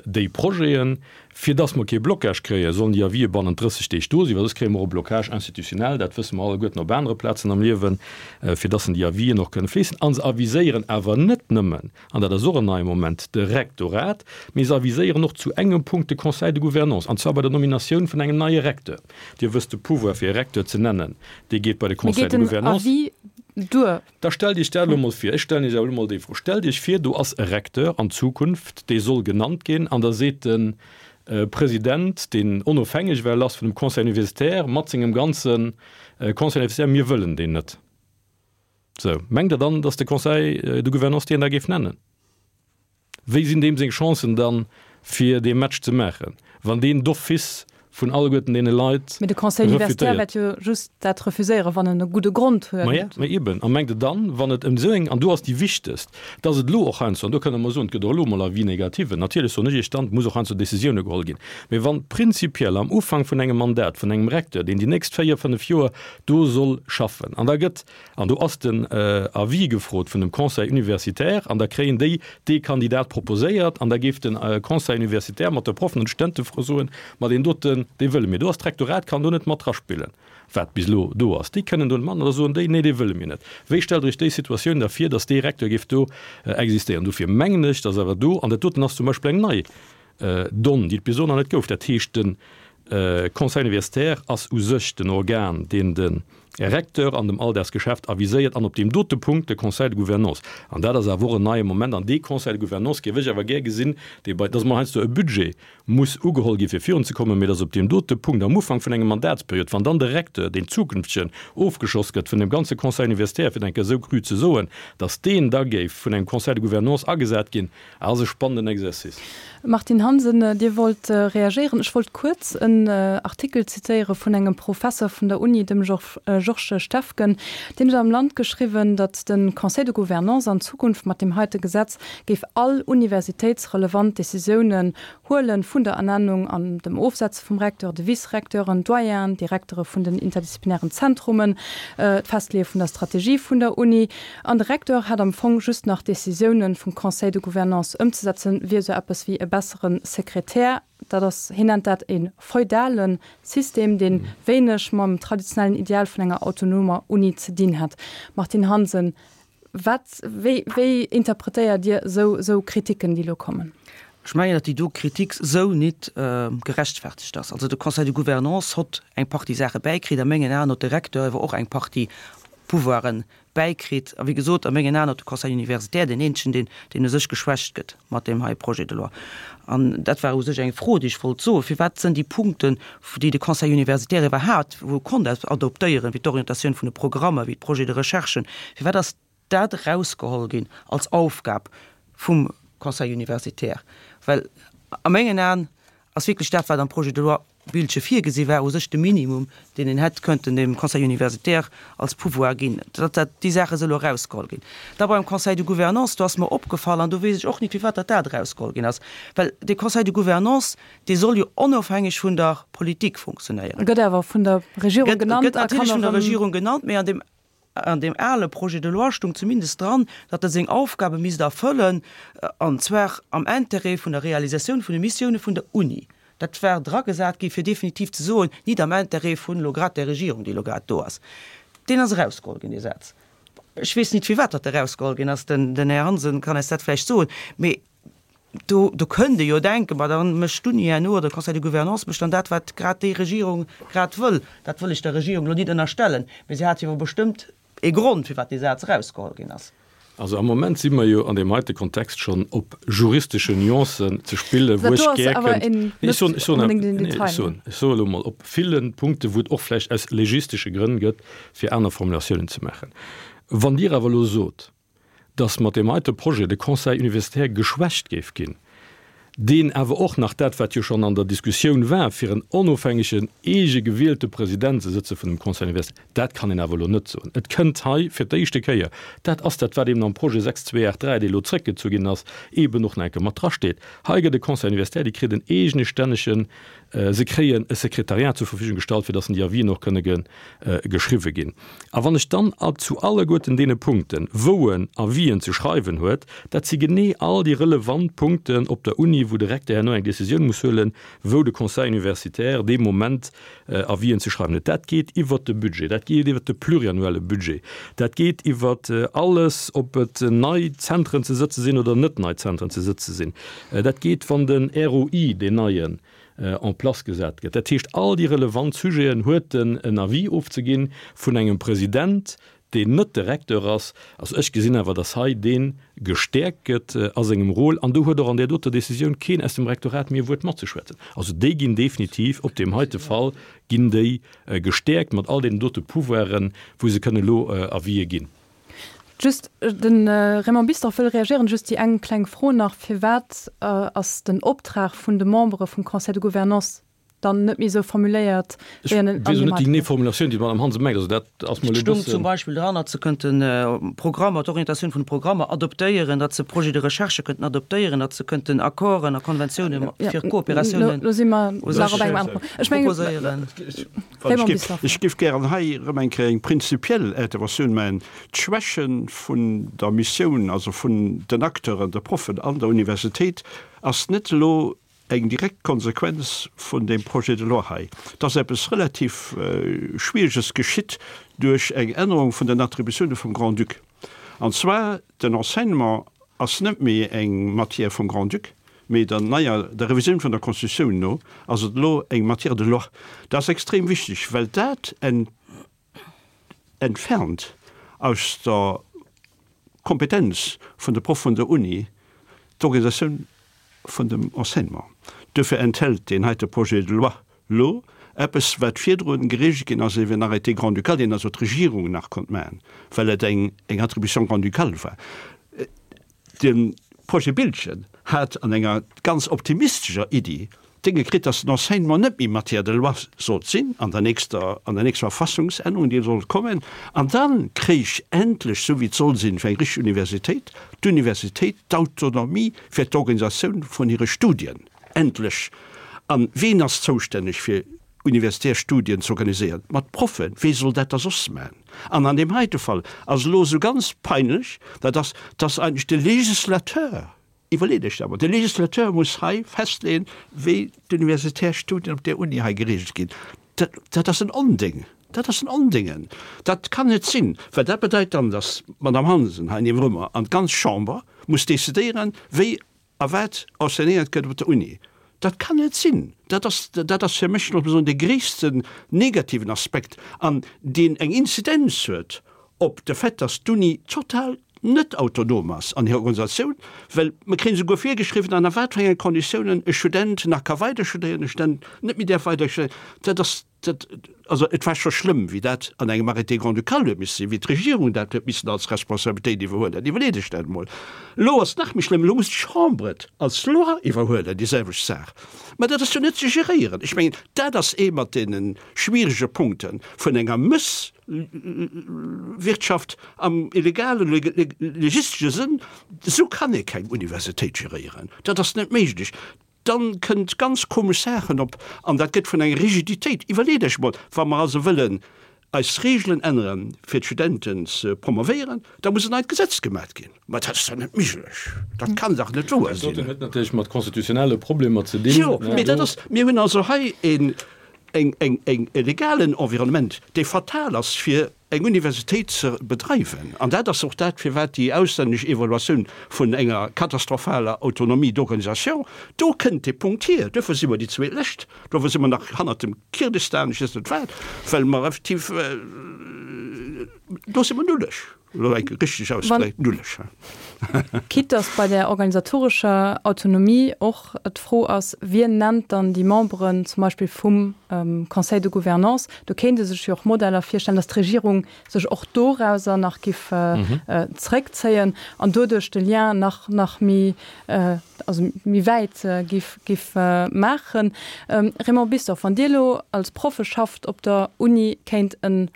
déi Projeten. Fir datt mer kee Blocage kréien, sollen déi Avisë bannent drësseg Deeg do sinn, well soss kréie mer och e Blocage institutionnel, dat wësse mer alleguerten op anere Plazen am Liewen, fir datt en déi Avisen och kënne fléissen. A se aviséieren awer net nëmmen, an dat ass och en neie Moment, de Rektorat, mee se aviséieren och zu engem Punkt de Conseil de Gouvernance, an zwar bei der Nominatioun vun engem neie Recteur. Dir wësst, de Pouvoir fir e Recteur ze nennen, dee geet bei de Mee Conseil geet de den Gouvernance. Avis duer? Da stellt Iech dat elo mol vir, ech stellen Iech awer elo mol déi Fro, Stellt Iech vir, do ass e Recteur an Zukunft, dee soll genannt ginn, an da seet de President, deen onofhängeg well ass vun dem Conseil universitaire, mat sengem ganze Conseil universitaire, Mir wëllen deen net. Sou, mengt Der dann, datt de Conseil de Gouvernance deen da géif nennen? Wéi sinn deem seng Chancen dann, fir dee Match ze maachen, wann deen d'office vun alleguerten deene Leit Mee de Conseil universitaire refutéiert? wäert jo just dat refuséieren, wann en e gudde Grond Ma ja, huet. mä eben. A mengt Der dann, wann et ëm esou eng, an do ass déi wichtegst, dass et elo och heiansdo, an do kënne mer soen, et gëtt och elo emol Avis négativen, natierlech soen ech Iech dann, et muss och heiansdo Décisioune geholl ginn, mä wann prinzipiell am Ufank vun engem Mandat vun engem Recteur, deen déi nächst véier, fënnef Joer do soll schaffen, an da gëtt, an do ass den Avis gefrot vun dem Conseil universitaire, an da kréien déi dee Kandidat proposéiert, an da géif de Conseil universitaire mat de Proffen an de Studente soen, ma deen doten, dee wëlle mir. Do ass d'Rektorat kann do net mat draspillen, wat bis elo do ass. Déi kënnen do net mat, an da soen déi, nee, dee wëlle mir net. Wéi stellt Der Iech déi Situatioun da vir, datt dee Recteur géif do existéieren? Dofir mengen ech, datt awer do, an dat doten ass zum Beispill eng nei Donn, déi et bis elo nach net gouf, dat heescht, de Conseil universitaire ass u sech den Organ, deen de Recteur an dem Alldagsgeschäft aviséiert an op deem dote Punkt de Conseil de Gouvernance. An dat ass awer och en neie Moment. An dee Conseil de Gouvernance géif ech awer gär gesinn, dee bei, dass emol heiansdo e Budget muss ugeholl gi fir virunzekommen, mee dass op deem dote Punkt am Ufank vun engem Mandatsperiod, wann dann de Recteur, deen zukünftegen, ofgeschoss gëtt vun dem ganze Conseil universitaire, fir et eng Kéier esou cru ze soen, dass deen da géif vun engem Conseil de Gouvernance agesat ginn, ass e spannenden Exercice. Martine Hansen, Dir wollt reagéieren. Ech wollt kuerz en Artikel zitéiere vun engem Professer vun der Uni, dem Georges Steffgen. Deen huet am Land geschriwwen, datt de Conseil de Gouvernance an Zukunft mat deem heite Gesetz géif all universitéitsrelevant Decisiounen huelen, vun der Ernennung an dem Ofsetze vum Recteur, de Vice-Recteuren, Doyenen, Direktere vun den interdisziplinären Zentrumen, d'Festleeë vun der Strategie vun der Uni. An de Recteur hätt am Fong just nach Decisiounen vum Conseil de Gouvernance ëmzesetzen, wier esou eppes wéi e bessere Sekretär. Dat ass, hien nennt dat e feudale System, dee wéineg mam traditionellen Ideal vun enger autonomer Uni ze dinn hätt. Martine Hansen, Wat, wéi, wéi interpretéiert Dir esou, esou Kritiken, déi elo kommen? Ech mengen, datt déi do Kritik esou nit gerechtfertegt ass. Also de Conseil de Gouvernance hott eng Partie Saache bäikritt. A mengen Aen hott de Recteur awer och eng Partie Pouvoiren bäikritt. A wéi gesot, a mengen Aen hott de Conseil universitaire deen eenzegen, deen, deen u sech geschwächt gëtt mat deem hei Projet de loi. An dat war u sech eng Fro, déi ech wollt soen, Firwat sënn déi Punkten, déi de Conseil universitaire iwwerhaapt wou konnt adoptéieren, wéi d'Orientatioun vun de Programmer, wéi d'Projets de recherche, firwat ass dat erausgeholl ginn als Aufgab vum Conseil universitaire, well a mengen Aen ass wierklech dat, wat am Projet de loi Biltgen virgesi war, u sech de Minimum, deen een hätt kënnten dem Conseil universitaire als Pouvoir ginn, datt dat, déi Saache si elo erausgeholl ginn. Da beim Conseil de Gouvernance, do ass mer opgefall, an do weess ech och nit, firwat datt dat erausgeholl ginn ass, well dee Conseil de Gouvernance, dee soll jo onofhängeg vun der Politik funktionéieren. Gëtt awer vun der Regierung genannt a kann erëm. Gëtt natierlech vun der Regierung genannt, mee an deem An deem ale Projet de loi stung zumindest dran, datt e seng Aufgabe misst erfëllen, an zwar am Intérêt vun der Realisatioun vun de Missioune vun der Uni. Dat war dragesat gi fir definitiv ze soen, nit am Intérêt vun elo grad där Regierung, déi elo grad do ass. Deen ass erausgeholl ginn, dee Saz. Ech weess nit, firwat datt erausgeholl ginn ass. Den Här Hansen kann eis dat vläicht soen. Mee Do, do kënnt ee jo denken, ma da mécht d'Uni herno oder de Conseil de Gouvernance mécht dann dat, wat grad déi Regierung grad wëll. Dat wëll ech der Regierung elo nit ënnerstellen, mee si hat jo bestëmmt ee Grond, firwat dee Saz erausgeholl ginn ass. Also am Moment si mer jo an deem heite Kontext schonn op juristesche Nuancen ze spillen, wou ech gär kënnt, nee, ech soen, ech soen, nee, ech soen, ech soe elo mol, op ville Punkte wou et och vläicht aus legistesche Grënn gëtt, fir aner Formulatiounen ze maachen. Wann Dir awer elo sot, dass mat deem heite Projet de Conseil universitaire geschwächt géif ginn, deen awer och nach dat, wat jo schonn an der Diskussioun war, fir en onofhängegen, eege gewielte President ze sëtze vun dem Conseil universitaire, dat kann een awer elo net soen. Et kënnt hei fir d'éischte Kéier, dat ass dat, wat eben am Projet sechs zwee aacht dräi, dee elo zrëckgezu ginn ass, eben och nach eng Kéier mat drasteet, Hei gëtt e Conseil universitaire, déi kritt en eegestännegen, Se kréien e Sekretariat zur Verfügung gestallt, fir dass déi Avisen och kënne geschriwwe ginn. A wann ech dann zu alleguerten deene Punkten, wou en Avisen ze schreiwen huet, dat si genee all déi relevant Punkten op der Uni, wou de Recteur herno eng Décisioun muss huelen, wou de Conseil universitaire dee Moment Avisen ze schreiwen huet, dat geet iwwert de Budget, dat geet iwwert de pluriannuelle Budget, dat geet iwwert alles, ob et nei Zentren ze sëtze sinn oder net nei Zentren ze sëtze sinn, dat geet, wann den R O I, deen neien, en place gesat gëtt. Dat heescht, all déi relevant Sujeten huet en en Avis ofzeginn vun engem President, deen net de Recteur ass. Also ech gesinn awer, dass hei dee gestäerkt gëtt a sengem Rôle. An do huet och an där doter Décisioun keen aus dem Rektorat méi e Wuert matzeschwätzen. Also déi ginn definitiv, op deem heite Fall ginn déi gestäerkt mat all deenen dote Pouvoiren, wou se kënnen elo Avisë ginn. Just, de Raymond Bisdorff wëll reagieren. Just déi eng kleng Fro nach, Firwat ass den Optrag vun de Membere vum Conseil de Gouvernance dann net méi esou formuléiert, wéi en an deem heite? Ech weess och net déi genee Formulatioun, déi d'Madame Hansen mengt. Also dat ass mer elo e Et stoung bëssen. zum Beispill dran, datt se kënnten Programmer, d'Orientatioun vun de Programmer adoptéieren, datt se Projets de recherche kënnten adoptéieren, datt se kënnten Accorden a Konventiounen fir Kooperatiounen Lo si mer u nach sech op engem anere Punkt. Ech mengen, proposéieren. Raymond Bisdorff. Ech géif gären hei erëm eng Kéier eng prinzipiell Interventioun maachen. D'Schwäche vun der Missioun, also vun den Acteuren, de Proffen an der Universitéit, ass net elo eng direkt Konsequenz vun deem Projet de loi hei. Et ass eppes relativ Schwiereges geschitt duerch eng Ännerung vun den Attributioune vum Grand-Duc. An zwar, den Enseignement ass net méi eng Matière vum Grand-Duc, mee der neier, der Revisioun vun der Constitutioun no ass et elo eng Matière de loi. Dat ass extrem wichteg, well dat entfernt aus der Kompetenz vun de Proff vun der Uni d'Organisatioun vun dem Enseignement. Duerfir enthält deen heite Projet de loi lo eppes, wat virdrun geregelt ginn ass iwwer en Arrêté grand-ducal, deen also d'Regierung nach konnt maachen, well et eng Attribution grand-ducale war. De Projet Biltgen hat an enger ganz optimistescher Iddi d'Dénge kritt, dass den Enseignement net méi Matière de loi sollt sinn an der nächster, an der nächster Verfassungsännerung, déi sollt kommen. An da kréich endlech, esou wéi et soll sinn fir eng richteg Universitéit, d'Universitéit d'Autonomie fir d'Organisatioun vun hire Studien. Endlech! A ween ass zoustänneg fir universitär Studien ze organiséieren? Ma d'Proffen. Wee soll dat da soss maachen? An an deem heite Fall ass elo esou ganz peinlech, dat ass, dass eigentlech de Législateur, iwwerleet Iech dat emol, de Législateur muss hei festleeën, wéi d'universitär Studien op där Uni hei geregelt ginn. Dat, dat ass en Onding. Dat ass en Ondingen. Dat kann net sinn, well dat bedeit dann, dass d'Madame Hansen hei niewendrun an d'ganz Chamber muss decidéieren, wéi a wat enseignéiert gëtt op der Uni. Dat kann net sinn. Dat ass, dat ass fir mech soen de gréissten negativen Aspekt an deen eng Inzidenz huet op de Fait, dass d'Uni total net autonom ass an hirer Organisatioun, well mer kréien esouguer virgeschriwwen, ënner wat fir enge Konditiounen e Student nach ka weiderstudéieren, e Student net méi däerf weiderstudéieren. Dat ass, dat, also et war scho schlëmm, wéi dat an engem Arrêté grand-ducal huet misse sinn, wéi d'Regierung dat huet missen als Responsabilitéit iwwerhuelen. Iwwerleet Iech dat emol. Elo ass et nach méi schlëmm, elo muss d'Chambre et als Loi iwwerhuelen, déi selwecht Saach. Mä dat ass jo net ze geréieren. Ech mengen, dat ass ee mat deene schwierege Punkte vun enger Mëss. Wirtschaft am illegalen, legistesche Sënn, esou kann ee keng Universitéit geréieren. Dat ass net méiglech. Dann kënnt ganz komesch Saachen op an dat gëtt vun enger Rigiditéit. Iwwerleet Iech emol, wa mer also wëllen eis Regelen änneren, fir d'Studenten ze promovéieren, da muss en neit Gesetz gemat ginn. Mä dat ass dach net méiglech. Dat kann dach net wouer sinn. Dat huet natierlech mat konstitutionelle Problemer ze dinn. Jo, mee dat ass, mir hunn also hei een, eng, eng, eng, e legalen Environnement, dee fatal ass fir eng Universitéit ze bedreiwen. An dat ass och dat, firwat déi auslännesch Evaluatioun vun enger katastrophaler Autonomie d'organisation, do kënnt dee Punkt hier. Duerfir si mer déi Zweetlescht, duerfir si mer nach hannert dem Kirgistan, ech weess net wat, well mer effektiv, do si mer nulleg. Elo eng Kéier richteg ausgedréckt, nulleg. Quitte dass bei där organisatorescher Autonomie och d'Fro ass, Wien nennt dann déi Memberen zum Beispill vum Conseil de gouvernance? Do kéint ee sech jo och Modeller virstellen, dass d'Regierung sech och dorauser nach giff zréckzéien an doduerch de Lien nach nach méi, also méi wäit giff giff maachen. Raymond Bisdorff, wann Dir elo als Proffeschaft op der Uni kéint en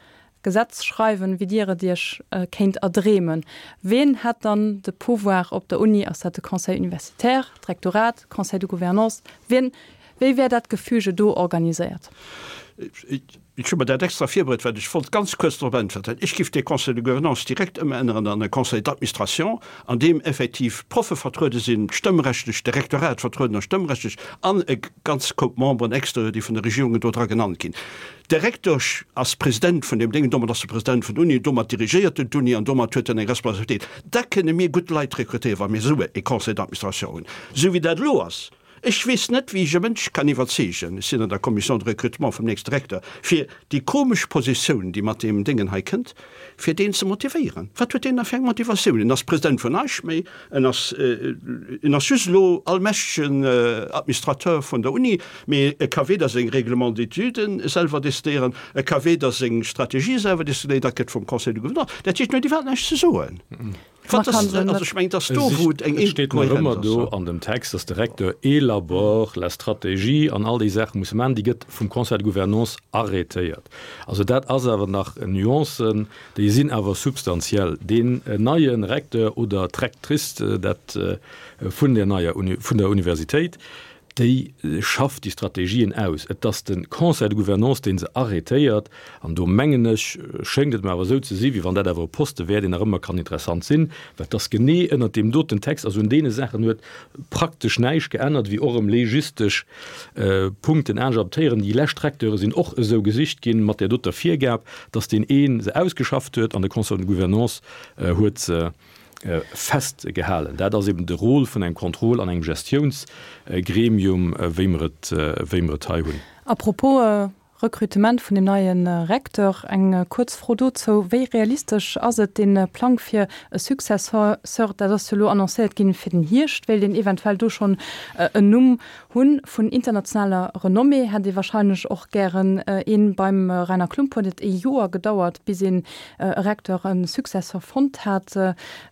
Gesetz schreiwen, wéi Dir et Iech kéint erdreemen. Ween hätt dann de Pouvoir op der Uni? Ass dat de Conseil universitaire, d'Rektorat, Conseil de gouvernance? Wien, wéi wär dat Gefüge do organiséiert? Ech hu mer dat extra virbereet, well ech wollt ganz kuerz drop äntwerten. Ech giff dee Conseil de gouvernance direkt ëmänneren an e Conseil d'administration, an deem effektiv d'Proffe vertruede sinn, stëmmrechtlech, de Rektorat vertrueden ass stëmmrechtlech an e ganz Koup Memberen exterieur, déi vun de Regierungen do dra genannt ginn. De Rektor ass President vun deem Déngen, domat ass e President vun der Uni, domat dirigéiert en d'Uni an domat huet en eng Responsabilitéit. Da kënne mir gutt Leit rekrutéieren, wa mir esou e Conseil d'administration hunn. Esou wéi dat elo ass, ech weess net, wéi ech e Mënsch kann iwwerzeegen, ech sinn an der Commission de recrutement vum nächste Rektor, fir déi komesch Positioun, déi mat deem Déngen hei kënnt, fir deen ze motivéieren. Wat huet deen da fir eng Motivatioun? En ass President vun näischt méi, en ass, en ass just elo allmächtegen Administrateur vun der Uni, mee e ka weder seng Règlements d'études selwer decidéieren, e ka weder seng Strategie selwer decidéieren, dat gëtt vum Conseil de Gouvernance. Dat heescht, en huet iwwerhaapt näischt ze soen. Wat ass, also ech mengen, et ass do, wou et eng Et steet nach Inkohärenz ëmmer ass. do an dem Text, dass de Recteur élabore la stratégie an all déi Saache muss maachen, déi gëtt vum Conseil de Gouvernance arrêtéiert. Also dat ass awer nach Nuancen, déi sinn awer substantiell. Deen neie Recteur oder d'Rectrice, dat vun der neier Uni, vun der Universitéit, déi schafft déi Strategien aus. Et ass de Conseil de Gouvernance, dee se arrêtéiert. An do mengen ech, schéngt et mer awer esou ze si wéi wann dat awer e Poste wär, deen nach ëmmer kann interessant sinn, well et ass genee ënnert deem doten Text, also un deene Saachen huet praktesch näischt geännert, wéi och erëm legistesch Punkten anescht adaptéieren. Déi lescht Recteure sinn och esou gesicht ginn, mat där doter Virgab, dass deen ee se ausgeschafft huet an de Conseil de Gouvernance huet se festgehalen. Dat ass eben de Rôle vun engem Contrôle an engem Gestiounsgremium, wéi mer et, wéi mer et hei hunn. A propos Recrutement vun dem neie Recteur, eng kuerz Fro dozou, Wéi realistesch ass et, dee Plang fir e Successeur, dat ass jo elo annoncéiert ginn fir den Hierscht, wéilt een eventuell do schonn en Numm hunn vun internationaler Renommée, hätt ee wahrscheinlech och gären een. Beim Rainer Klump huet et ee Joer gedauert, bis een e Recteur, e Successeur fonnt hat,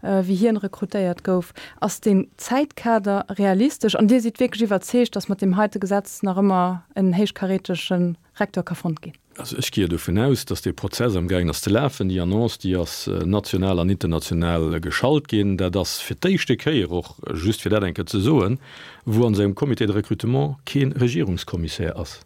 wéi hien rekrutéiert gouf. Ass deen Zäitkader realistesch? An Dir sidd wierklech iwwerzeegt, datt mat deem heite Gesetz nach ëmmer en héichkarätege Recteur ka fonnt ginn? Also ech gehe dovun aus, datt dee Prozess amgaangen ass ze lafen. Déi Annonce, déi ass national an international geschalt ginn. Dat ass fir d'éischte Kéier och, just fir dat eng Kéier ze soen, wou an esou engem Comité de recrutement kee Regierungskommissär ass.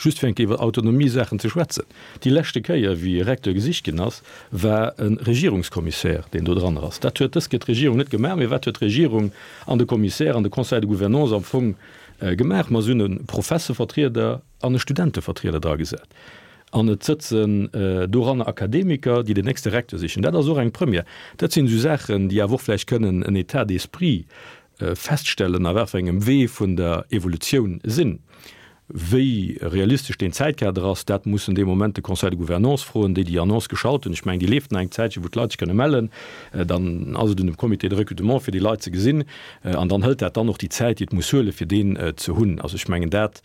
Just fir eng Kéier iwwer Autonomie-Saachen ze schwätzen, Déi leschte Kéier, wéi e Recteur gesicht ginn ass, war e Regierungskommissär, deen do dran ass. Dat huet dës Kéier d'Regierung net gemaach. Mee wat huet d'Regierung an de Kommissär an de Conseil de gouvernance am Fong gemaach? Ma se hunn e Professevertrieder an e Studentevertrieder dragesat. An et sëtzen doranner Akademiker, déi den nächste Recteur sichen. Dat ass och eng Première. Dat sinn esou Saachen, déi awer och vläicht kënnen en État d'esprit feststellen, a wat fir engem Wee vun der Evolutioun sinn. Wéi realistesch deen Zäitkader ass, dat mussen dee Moment de Conseil de Gouvernance froen, déi déi Annonce geschalt hunn. Ech mengen, déi leeft nach eng Zäitche, wou d'Leit sech kënne mellen. Dann ass et un dem Comité de recrutement, fir déi Leit ze gesinn. An dann hëlt dat dann och déi Zäit, déi et muss huelen, fir deen ze hunn. Also ech mengen, dat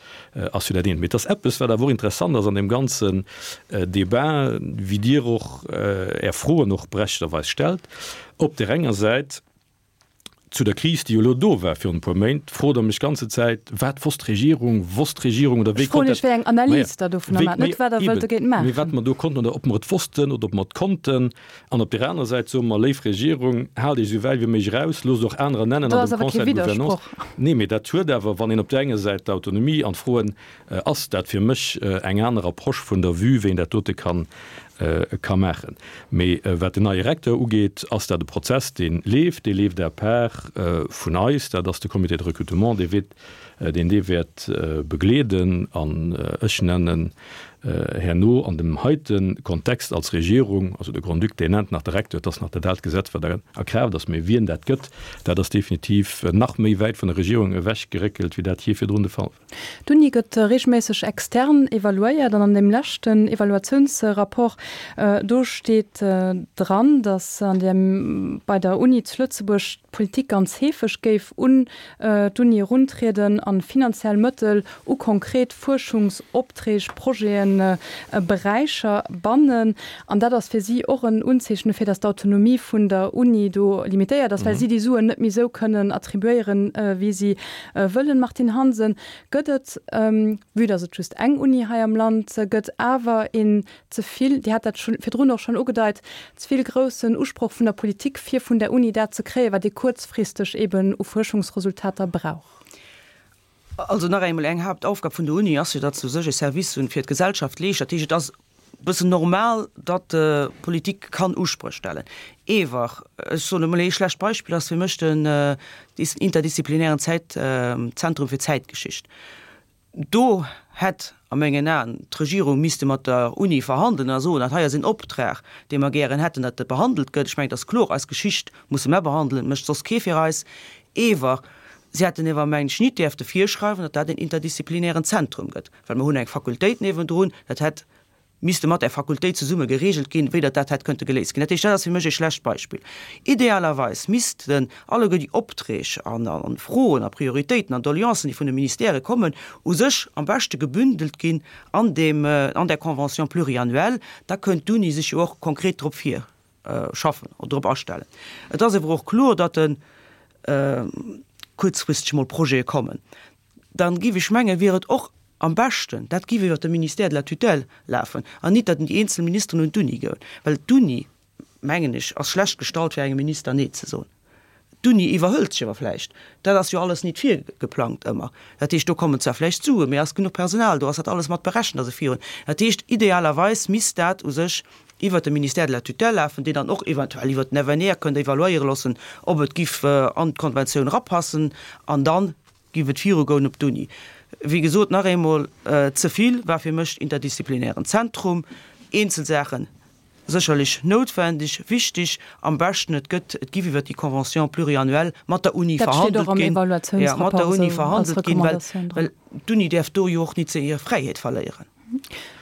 ass jo dat eent. Mee et ass eppes, wat awer och interessant ass an deem ganzen Débat, wéi Dir och Är Froen och berechtegterweis stellt. Op där enger Säit, zu der Kris, déi jo elo do war virun e puer Méint, frot Der mech ganze Zäit, Wat wosst d'Regierung? Wosst d'Regierung oder wéi Ech froen konnt Iech, dat? wéi eng Analys Maja, Der dovunner wéi, maacht, net maja, wat Der wëllt eben, dogéint mee maachen. wat mer do konnten oder ob mer et wossten oder ob mer et konnten. An op där anerer Säit soe mer, Léif Regierung, haalt Iech esou wäit wéi méiglech eraus, loosst och anerer nennen Do an ass dem awer kee Conseil de Gouvernance. Widdersproch. Nee, mee dat huet awer, wann een op där enger Säit d'Autonomie an d'Froen, ass dat fir mech eng aner Approche vun der Vue, wéi een dat dote kann ka maachen. Mee wat den neie Recteur ugeet, ass dat e Prozess, dee leeft, dee leeft à part vun eis. Dat ass de Comité de recrutement, dee weet, deen dee wäert begleeden. An ech nennen herno an dem heite Kontext als Regierung, also de Grand-Duc, deen nennt nach de Recteur, et ass nach dat aalt Gesetz, wat a Kraaft ass, mee wien dat gëtt, dat ass definitiv nach méi wäit vun der Regierung ewechgeréckelt, wéi dat jee virdrun de Fall war. D'Uni gëtt reegelméisseg extern evaluéiert an an deem leschten Evaluatiounsrapport, do steet dran, datt an dem, bei der Uni zu Lëtzebuerg d'Politik ganz heefeg géif un d'Uni eruntrieden an finanziell Mëttel u konkret Fuerschungsopträg, Projeten, Beräicher bannen. An dat ass fir si och en Unzeechen dofir, datt d'Autonomie vun der Uni do limitéiert ass, well si déi Suen net méi esou kënnen attribuéieren, wéi si wëllen. Martine Hansen, Gëtt et, vue datt et just eng Uni hei am Land gëtt, awer een ze vill, Dir hat dat virdrun och schonn ugedeit, ze vill groussen Usproch vun der Politik, fir vun der Uni dat ze kréien, wat ee kuerzfristeg eben u Fuerschungsresultater brauch? Also nach eemol, eng Haaptaufgab vun der Uni ass jo, datt se u sech e Service hunn fir d'Gesellschaft leescht. Dat heescht, et ass e bëssen normal, datt d'Politik kann Uspréch stellen. Ewer, ech soen emol, ee schlecht Beispill ass fir mech den interdisziplinären Zäit, Zentrum fir Zäitgeschicht. Do hätt a mengen Aen d'Regierung misste mat der Uni verhandelen a soen, dat hei ass een Optrag, dee mer gären hätten, datt e behandelt gëtt. Ech mengen, et ass kloer, eis Geschicht musse mer behandelen, mécht soss kee fir eis. Ewer si hätten ewer, mengen ech, nit däerfte virschreiwen, datt dat een interdisziplinären Zentrum gëtt, well mer hunn eng Fakultéit niewendrun, dat hätt misste mat där Fakultéit zesumme geregelt ginn, wéi datt dat hätt kënnte geléist ginn. Dat heescht, dat ass fir mech ee schlecht Beispill. Idealerweis missten alleguer déi Opträg an Froen a Prioritéiten an Doleancen, déi vun de Ministèrë kommen, u sech am beschte gebündelt ginn an deem, an där Convention pluriannuelle. Da kënnt d'Uni sech jo och konkret drop virschaffen oder drop astellen. Et ass awer och kloer, datt kuerzfristeg mol Projete kommen. Dann giff ech mengen, wier et och am beschten, dat giff iwwert de Ministère de la tutelle lafen an nit, datt déi eenzel Ministeren un d'Uni goen, well d'Uni, mengen ech, ass schlecht gestallt fir engem Minister Nee ze soen. D'Uni iwwerhëlt sech awer vläicht, dat ass jo alles nit virgeplangt ëmmer, dat heescht, do kommen zwar vläicht Suen, mee ass genuch Personal do, ass dat alles mat berechent, ass e virun. Dat heescht, idealerweis misst dat u sech iwwert de Ministère de la tutelle lafen, deen dann och eventuell iwwert den F N R kënnt evaluéiere loossen, ob et giff an d'Konventioun erapassen, an dann giff et virugoen op d'Uni. Wéi gesot, nach eemol, ze vill war fir mech interdisziplinären Zentrum, eenzel Saachen sécherlech noutwendeg, wichtig, am beschten et gëtt, et giff iwwert déi Convention pluriannuelle mat der Uni Dat steet och verhandelt am ginn, jo, mat Evaluatiounsrapport der Uni esou als verhandelt ginn, well, Recommandatioun dran. well d'Uni däerf do jo och nit hir Fräiheet verléieren.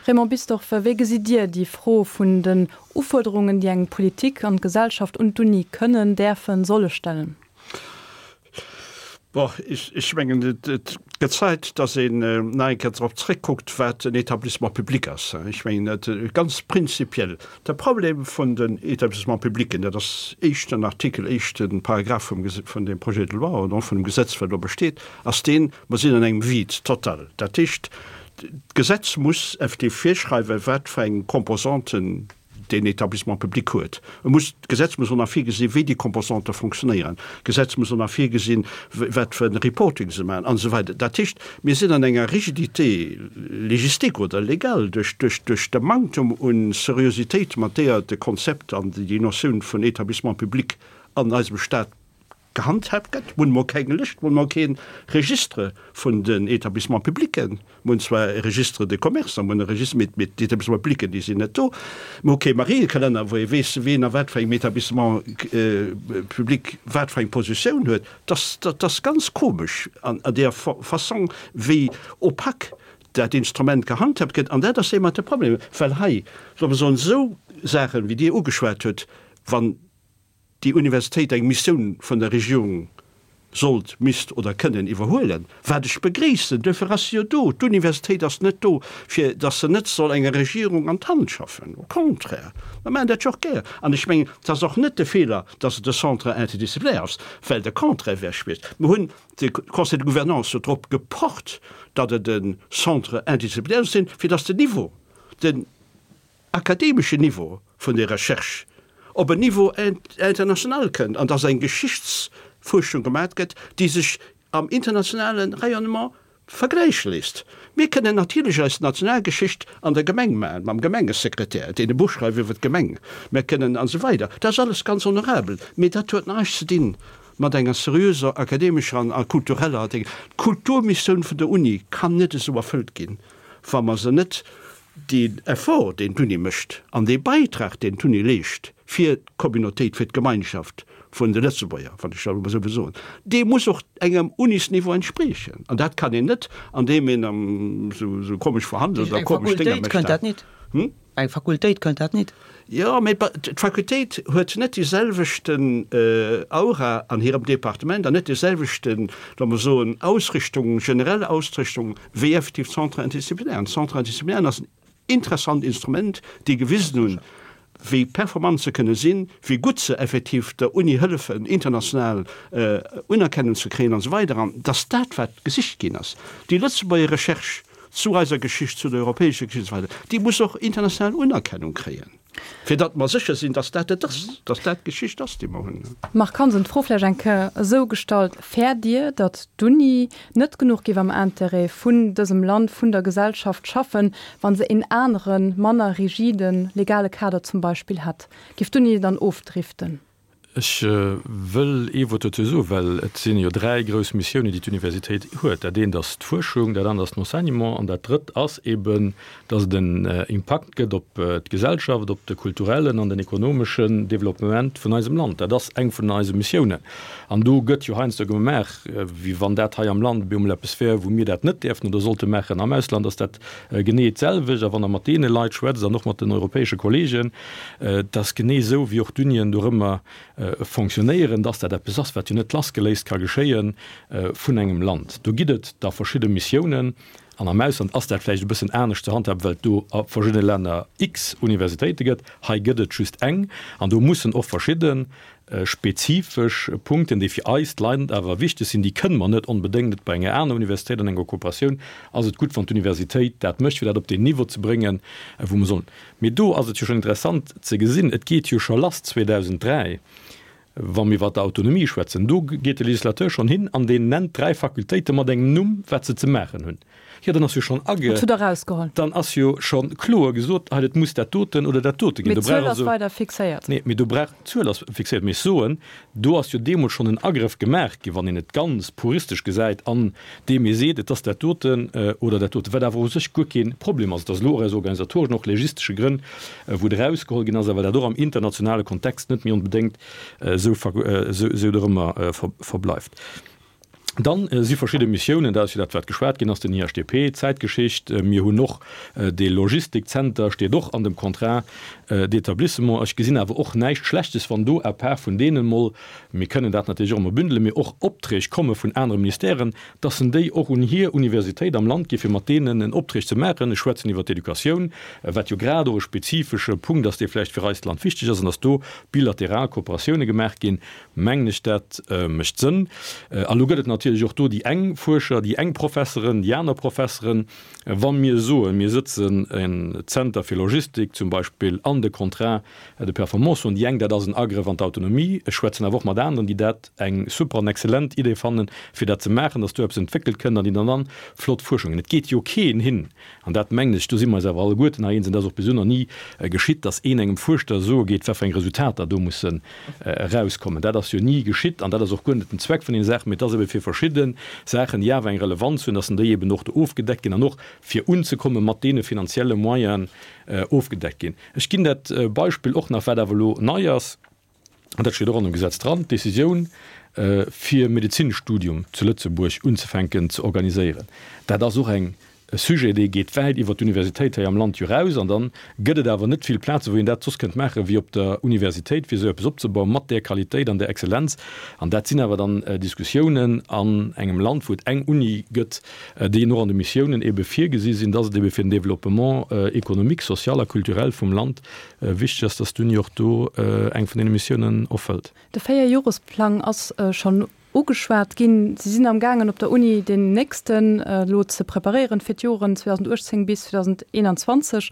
Raymond Bisdorff, wéi gesitt Dir déi Fro vun den Ufuerderungen, déi eng Politik an d'Gesellschaft un d'Uni kënnen, däerfen, solle stellen? Bon, ech mengen, et gëtt Zäit, datt een nach eng Kéier drop zréckkuckt, wat en Établissement public ass. Ech mengen, et ganz prinzipiell, de Problem vun den Établissements publics, dat ass éischten Artikel, éischte Paragraph vum, vun deem Projet de loi oder och vun dem Gesetz, wat elo besteet, ass deen, mer sinn an engem Vide total. Dat heescht, d'Gesetz muss effektiv virschreiwen, wat fir eng Composanten deen Établissement public huet. E muss, d'Gesetz muss och nach virgesinn, wéi déi Composante fonctionnéieren. D'Gesetz muss och nach virgesinn, wat fir e Reporting se maachen an esou weider. Dat heescht, mir sinn an enger Rigidité légistique oder légale duerch, duerch, duerch de Manktum u Seriositéit, mat deeër de Konzept an déi Notioun vun Établissement public an eisem Stat gehandhaabt gëtt. Mir hunn emol keng Lëscht, mir hunn emol kee Registre vun den Établissements publics. Mir hunn zwar e Registre de commerce a mir hunn e Registre, mee d'Établissements publics, déi sinn net do. Mir hu kee Mariekalenner, wou ee weess, wien a wat fir engem Établissement public wat fir eng Positioun huet. Dat ass ganz komesch an där Fassong, wéi opaque dat Instrument gehandhaabt gëtt. An dat ass eeben de Problem, well hei, solle mer soen, esou Saachen, wéi Dir ugeschwat hutt, wann déi Universitéit eng Missioun vun der Regierung sollt, misst oder kënnen iwwerhuelen, wat ech begréissen, duerfir ass se jo do, d'Universitéit ass net do, fir datt se net soll enger Regierung an d'Hand schaffen, au contraire, mer maachen dat jo och gär. An ech mengen, et ass och net de Feeler, datt et e Centre interdisciplinaire ass, well de Contraire wär schwierig. Mer hunn de Conseil de gouvernance jo drop gepocht, datt et e Centre interdisciplinaire soll sinn, fir datt den Niveau, den akademeschen Niveau vun der Recherche op en Niveau international kënnt an dass eng Geschichtsfuerschung gemat gëtt, déi sech am internationale Rayonnement vergläiche léisst. Mir kënnen natierlech eis Nationalgeschicht an der Gemeng maachen, mam Gemengesekretär, deen e Buch schreift iwwer d'Gemeng, mir kënnen an esou weider. Dat ass alles ganz honorabel, mee dat huet näischt ze dinn mat enger seriöser akademescher an kultureller Ding. D'Kulturmissioun vun der Uni kann net esou erfëllt ginn, wa mer se net Deen Effort, deen d'Uni mécht, an dee Beitrag, deen d'Uni leescht fir d'Communautéit, fir d'Gemeinschaft vun de Lëtzebuerger, wann ech dat emol esou wëll soen, dee muss och engem Unisniveau entspriechen. An dat kann een net, andeem een esou komesch verhandelt oder komesch Dénger mécht. Eng Fakultéit kënnt dat nit. Eng Fakultéit kënnt dat nit. Jo, mee d'Fakultéit huet net déi selwechten Aura an hirem Departement an net déi selwechten, solle mer soen, Ausrichtung, generell Ausrichtung, wéi effektiv d'Centres interdisciplinaires. D'Centres interdisciplinaires ass en interessant Instrument, déi gewisen hunn, wéi performant se kënne sinn, wéi gutt se effektiv der Uni hëllefen, international Unerkennung ze kréien an esou weider. An dass dat, wat gesicht ginn ass, déi Lëtzebuerger Recherche zu eiser Geschicht, zu der europäescher Geschicht an esou weider, déi muss och international Unerkennung kréien, fir datt mer sécher sinn, datt dat et ass, datt dat d'Geschicht ass, déi mer hunn. Marc Hansen, d'Fro vläicht eng Kéier esou gestallt, Fäert Dir, datt d'Uni net genuch géif am Intérêt vun dësem Land, vun der Gesellschaft schaffen, wa se een aneren, manner rigide legale Kader zum Beispill hätt? Géif d'Uni dann ofdriften? Ech wëll ee Wuert dozou soen, well et sinn jo dräi grouss Missiounen, déi d'Universitéit huet. Dat eent ass d'Fuerschung, dat anert ass den Enseignement an dat drëtt ass eben, dass et en Impakt gëtt op d'Gesellschaft, op de kulturellen an den ekonomeschen Développement vun eisem Land. Dat ass eng vun eise Missiounen. An do gëtt jo heiansdo gemaach, wéi wann dat hei am Land op eemol eppes wär, wou mir dat net däerften oder sollte maachen. Am Ausland ass dat genee d'selwecht. A wann Der mat deene Leit schwätzt an och mat den europäesche Kollegen, et ass genee esou, wéi och d'Unien dorëmmer fonctionnéieren, dass dat eppes ass, wat jo net lassgeléist ka geschéie vun engem Land. Do gitt et da verschidde Missiounen, an am Ausland ass dat vläicht e bëssen anescht ze handhaben, well et do a verschiddene Länner x Universitéite gëtt. Hei gëtt et just eng, an do mussen och verschidde spezifesch Punkten, déi fir eist Land awer wichteg sinn, déi kënne mer net onbedéngt net bei enger aner Universitéit an enger Kooperatioun ass et gutt, wann d'Universitéit dat mécht, fir dat op deen Niveau ze bréngen, wou mer sollen. Mee do ass et jo schonn interessant ze gesinn, et geet jo scho lass zweedausend dräi wa mir iwwert d'Autonomie schwätzen, do geet de Législateur schonn hin an deen nennt dräi Fakultéite mat engem Numm, wat se ze maachen hunn. Jo, dann ass jo schonn age. Dat hutt Der erausgeholl. Dann ass jo scho kloer gesot, hei, et muss dat doten oder dat dote ginn. Mee d'Zuel ass weider fixéiert. Nee, mee do brauch, d'Zuel ass fixéiert, mee ech soen, do ass jo deemools schonn en Agrëff gemaach ginn, wann een et ganz puristesch gesäit, an deem ee seet, et ass dat doten oder dat doten, wat awer u sech guer kee Problem ass. Et ass elo och aus organisatoreschen, och legistesche Grënn, wou et erausgeholl ginn ass, a well dat och am internationale Kontext net méi onbedéngt esou dorëmmer verbleift. Dann si verschidde Missiounen, dat ass jo dat, wat geschwat ginn ass, den I H D P, d'Zäitgeschicht. Mir hunn och dee Logistikzenter, steet och an dem Contrat d'établissement. Ech gesinn awer och näischt Schlechtes, wann do à part vun deenen emol, mir kënnen dat natierlech och emol bündelen, mee och Opträg komme vun anere Ministèren, dass en déi och un hir Universitéit am Land gi fir mat deenen en Opträg ze maachen. Ech schwätzen iwwert d'Educatioun, wat jo grad och e spezifesche Punkt ass, dee vläicht fir eist Land wichteg ass, an dass do bilateral Kooperatioune gemaach ginn, mengen ech, dat mécht Sënn. A lo gëtt et natierlech natierlech och do déi eng Fuerscher, déi eng Professeren, déi aner Professeren. Wa mir soen, mir sëtzen en Zenter fir Logistik zum Beispill an de Contrat de performance, soen déi eng, dat ass en Agrëff an d'Autonomie. Ech schwätzen awer och mat aneren, déi dat eng super an exzellent Idee fannen, fir dat ze maachen, dass do eppes entwéckelt kënnt an déi dann dann flott Fuerschungen. Et geet jo keen hin, an dat mengen ech, do si mer eis awer alleguerten hei eens, an dat ass och bis elo nach ni geschitt, dass een engem Fuerschter soe geet, wat fir eng Resultater do mussen erauskommen. Dat ass jo ni geschitt an dat ass och guer net den Zweck vun deene Saachen, mee et ass ebe fir verschidde Saachen, déi awer eng Relevanz hunn, dass déi eben och do ofgedeckt ginn an och fir unzekomme mat deene finanzielle Moyenen ofgedeckt ginn. Ech ginn dat Beispill och nach, wat awer elo nei ass, an dat steet och an dem Gesetz dran, d'Décisioun, fir Medezinstudium zu Lëtzebuerg unzefänken ze organiséieren. Dat ass och eng e Sujet, dee geet wäit iwwert d'Universitéit hei am Land jo raus. An dann gëtt et awer net vill Plazen, wou een dat soss kënnt maachen, wéi op der Universitéit, fir esou eppes opzebauen, mat där Qualitéit an där Exzellenz. An dat sinn awer dann Diskussiounen an engem Land, wou et eng Uni gëtt, déi och an de Missiounen ebe virgesi sinn, dass et ebe fir den Développement économique, social a culturel vum Land wichteg ass, dass d'Uni och do eng vun deene Missiounen erfëllt. De Véierjoresplang ass schonn ugeschwat ginn. Si sinn am gaangen op der Uni deen nächsten elo ze preparéieren fir d'Joren zweedausenduechtzéng bis zweedauseneenanzwanzeg.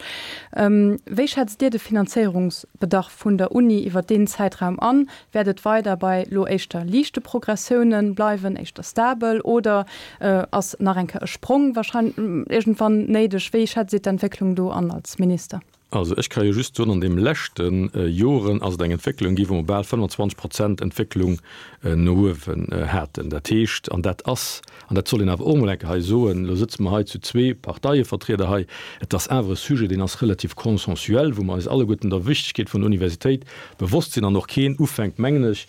Wéi schätzt Dir de Finanzéierungsbedarf vun der Uni iwwer deen Zäitraum an? Wäert et weider bei elo éischter liichte Progressiounen bleiwen, éischter stabel, oder ass nach eng Kéier e Sprong wahrscheinlech iergendwann néideg? Wéi schätzt Dir d'Entwécklung do an als Minister? Also ech ka jo just soen, an deem leschte Joren ass et eng Entwécklung gi wou mer bal fënnfanzwanzeg Prozent Entwécklung no uewen haten. Dat heescht, an dat ass, an dat soll een awer och emol eng Kéier hei soen, elo sëtze mer hei zu zwee Parteievertrieder hei, et ass awer e Sujet, deen ass relativ consensuel, wou mer eis alleguerten der Wichtigkeet vun der Universitéit bewosst sinn an och keen ufänkt, mengen ech,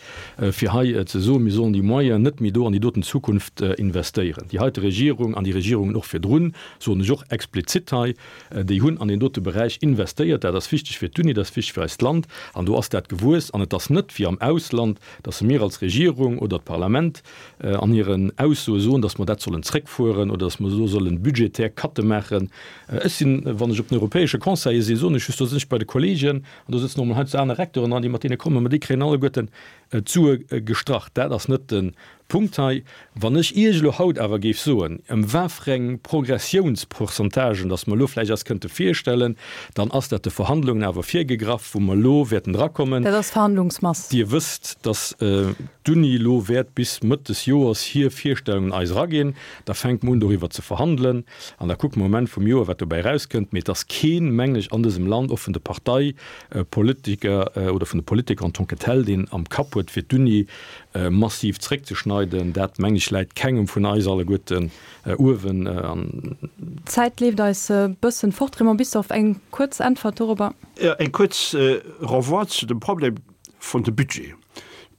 fir hei ze soen, mir sollen déi Moyenen net méi do an déi doten Zukunft investéieren. Déi heite Regierung an déi Regierungen och virdrun, soen ech och explizit hei, déi hunn an deen dote Beräich investéiert. Dat ass wichteg fir d'Uni, dat ass wichteg fir eist Land an do ass dat gewuess. An et ass net wéi am Ausland, dass mir als Regierung oder d'Parlament an hiren Aussoe soen, dass mer dat sollen zréckfueren oder dass mer do sollen budgetär Cutte maachen. Ech sinn, wann ech op den europäesche Conseile sinn, soen ech just, do sinn ech bei de Kollegen an do sëtzen och mol heiansdo aner Recteuren dran, déi mat deene kommen, mä déi kréien alleguerten d'Sue gestrach. Dat ass net de Punkt hei. Wann ech Iech elo haut awer géif soen, ëm wafreng Progressiounspourcentagen dass mer elo vläicht eis kënnte virstellen, dann ass dat de Verhandlungen awer virgegraff, wou mer elo wäerten drakommen. Dat ass Verhandlungsmass. Dir wësst, dass d'Uni elo wäert bis Mëtt des Joers hir Virstellungen eis eraginn. Da fänke mer un doriwwer ze verhandelen an da kucke mer um Enn vum Joer, wat dobäi erauskënnt. Mee et ass keen, mengen ech, an dësem Land, och vun de Parteipolitiker oder vun de Politiker en tant que tel, deen am Kapp huet, fir d'Uni massiv zréckzeschneiden. Dat, mengen ech, läit kengem vun eis alleguerten uewen an. D'Zäit leeft eis e bëssen fort. Raymond Bisdorff, eng kuerz Äntwert dorobber. Jo, eng kuerz Renvoi zu dem Problem vun de Budget.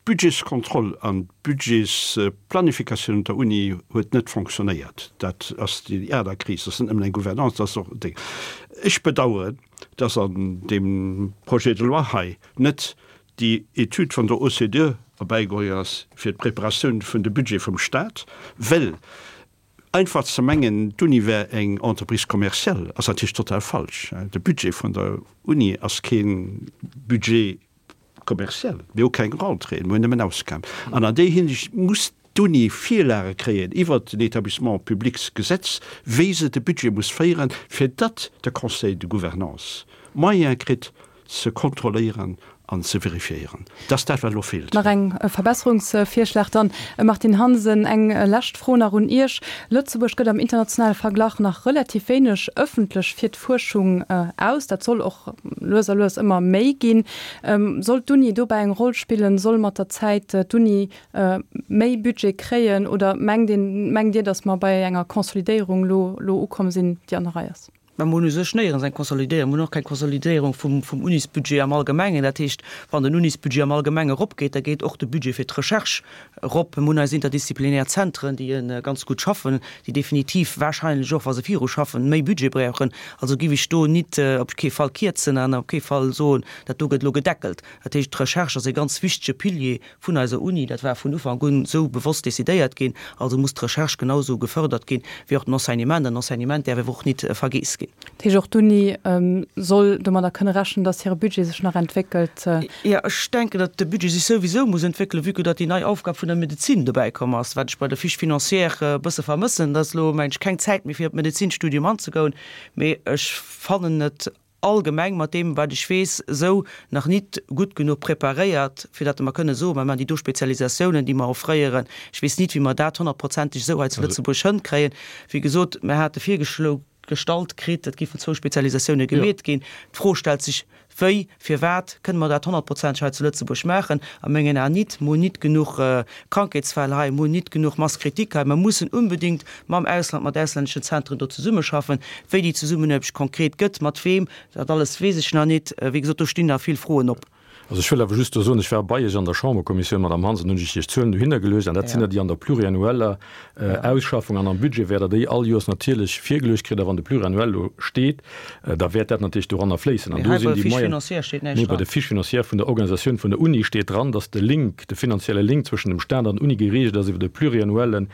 D'Budgetskontroll an d'Budgetsplanifikatioun un der Uni huet net fonctionnéiert. Dat ass déi aner Kris. Dat ass net nëmmen eng Gouvernance, dat ass och déi. Ech bedauern, dass an deem Projet de loi hei net déi Etüd vun der O C D E erbäigeholl ass fir d'Preparatioun vun de Budget vum Stat, well einfach ze mengen, d'Uni wär eng Entreprise commerciale, ass natierlech total falsch. De Budget vun der Uni ass kee Budget commercial. Mir hu keng Rentréeën, mir hunn nëmmen Ausgaben. An an déi Hinsicht muss d'Uni Virlage kréien iwwert den Établissement publics Gesetz, wéi se de Budget muss féieren, fir datt de Conseil de Gouvernance Moyen kritt ze kontrolléieren an ze vérifiéieren. Dat ass dat, wat elo feelt. Nach eng Verbesserungsvirschlag dann. Martine Hansen, eng lescht Fro nach un Iech. Lëtzebuerg gëtt am internationale Verglach nach relativ wéineg ëffentlech fir d'Fuerschung aus. Dat soll och lues a lues ëmmer méi ginn. Soll d'Uni dobäi eng Roll spillen? Soll mat der Zäit d'Uni méi Budget kréien oder mengt een, mengt Dir, datt mer bei enger Consolidéierung elo elo ukomm sinn, déi an der Rei ass? Mä mer hunn u sech néierens eng Konsolidéierung. Mer hunn och keng Konsolidéierung vum, vum Unisbudget am Allgemengen. Dat heescht, wann den Unisbudget am Allgemenge eropgeet, da geet och de Budget fir d'Recherche erop. Mer hunn eis interdisziplinär Zentren, déi ganz gutt schaffen, déi definitiv wahrscheinlech och, wa se viruschaffen, méi Budget brauchen. Also géif ech do nit op kee Fall kierzen an op kee Fall soen, dat do gëtt elo gedeckelt. Dat heescht, d'Recherche ass e ganz wichtege Pilier vun eiser Uni. Dat war vun Ufank un esou bewosst decidéiert ginn. Also muss d'Recherche genau esou gefördert ginn wéi och den Enseignement. An den Enseignement däerf awer och nit vergeess ginn. ginn. Dat heescht, och d'Uni soll domadder kënne rechnen, datt hire Budget sech nach entwéckelt? Jo, ech denken, datt de Budget sech souwisou muss entwéckelen, vue que datt déi nei Aufgab vun der Medezin dobäi komm ass, wat ech bei der Fiche financière e bësse vermëssen. Et ass elo, mengen ech, keng Zäit méi fir op d'Medezinstudium anzegoen, mee ech fannen et allgemeng, mat deem wat ech weess, esou nach nit gutt genuch preparéiert, fir datt mer kënne soen, mer maachen déi do Spezialisatiounen, déi mer offréieren. Ech weess nit, wéi mer dat honnertprozenteg esou hei zu Lëtzebuerg hënkréien. Wéi gesot, mer hate virgeschlo gestallt kritt, et géifen zwou Spezialisatioune gemeet ginn. D'Fro stellt sech, Wéi, firwat kënne mer dat honnertprozenteg hei zu Lëtzebuerg maachen? A mengen Aen nit. Mer hunn nit genuch Krankheetsfäll hei, mer hunn nit genuch Masse critique hei. Mer mussen unbedéngt mam Ausland, mat auslänneschen Zentren do zesummeschaffen. Wéi déi Zesummenaarbecht konkret gëtt, mat weem, dat alles weess ech nach nit. Wéi gesot, do stinn nach vill Froen op. Also ech wëll awer just do soen, ech war bei Iech an der Chamberkommissioun, Madame Hansen, hunn ech Iech d'Zuelen dohinner geluecht, an dat sinn der, déi an der pluriannueller Ausschaffung an am Budget wäert Der déi all Joers natierlech virgeluecht kritt. A wann de Pluriannuel elo steet, da wäert dat natierlech doranner fléissen. An Mee do hei sinn bei der déi Fiche Moyen. financière steet näischt Nee, bei dran. der Fiche financière vun der Organisatioun vun der Uni steet dran, dass de Link, de finanzielle Link zwëschen dem Stat an der Uni geregelt ass iwwer de pluriannuelle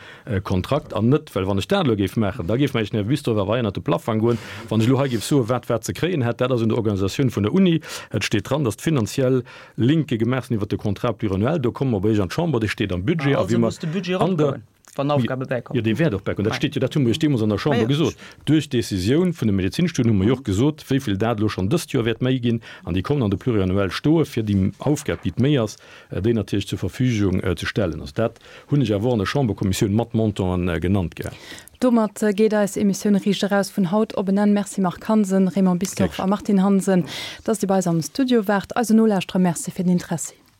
Kontrakt an net, well wann ech dat elo géif maachen, da géif mer Iech den Här Bisdorff awer hei ënnert de Plaffang goen, wann ech elo hei géif soen, wat wat ze kréien hätt. Dat ass un der Organisatioun vun der Uni. Et steet dran, dass d'finanziell Linke gemaach sinn iwwer de Contrat pluriannuel. Do komme mer bei Iech an d'Chamber, dee steet am Budget. Ma A wéi also mer muss de Budget an der. eropgoen, wann Aufgabe bäikommen. Jo, dee wäert och bäikommen. Dat steet jo, dat hu mer Iech deemools an der Ma Chamber jo. gesot. Duerch d'Décisioun vun de Medezinstudien hu mer jo och gesot, wéi vill dat elo schonn dëst Joer wäert méi ginn. An déi kommen an de Pluriannuel stoe fir déi Aufgab, déi d'méi ass, déi natierlech zur Verfügung ze stellen. Also dat hunn ech awer och an der Chamberkommissioun mat Montanten genannt gehat. Domat geet eis Emissioun Riicht Eraus vun haut op en Enn. Merci Marc Hansen, Raymond Bisdorff a Martine Hansen, dass Dir bei eis am Studio waart. Eisen Nolauschterer Merci fir den Interessi.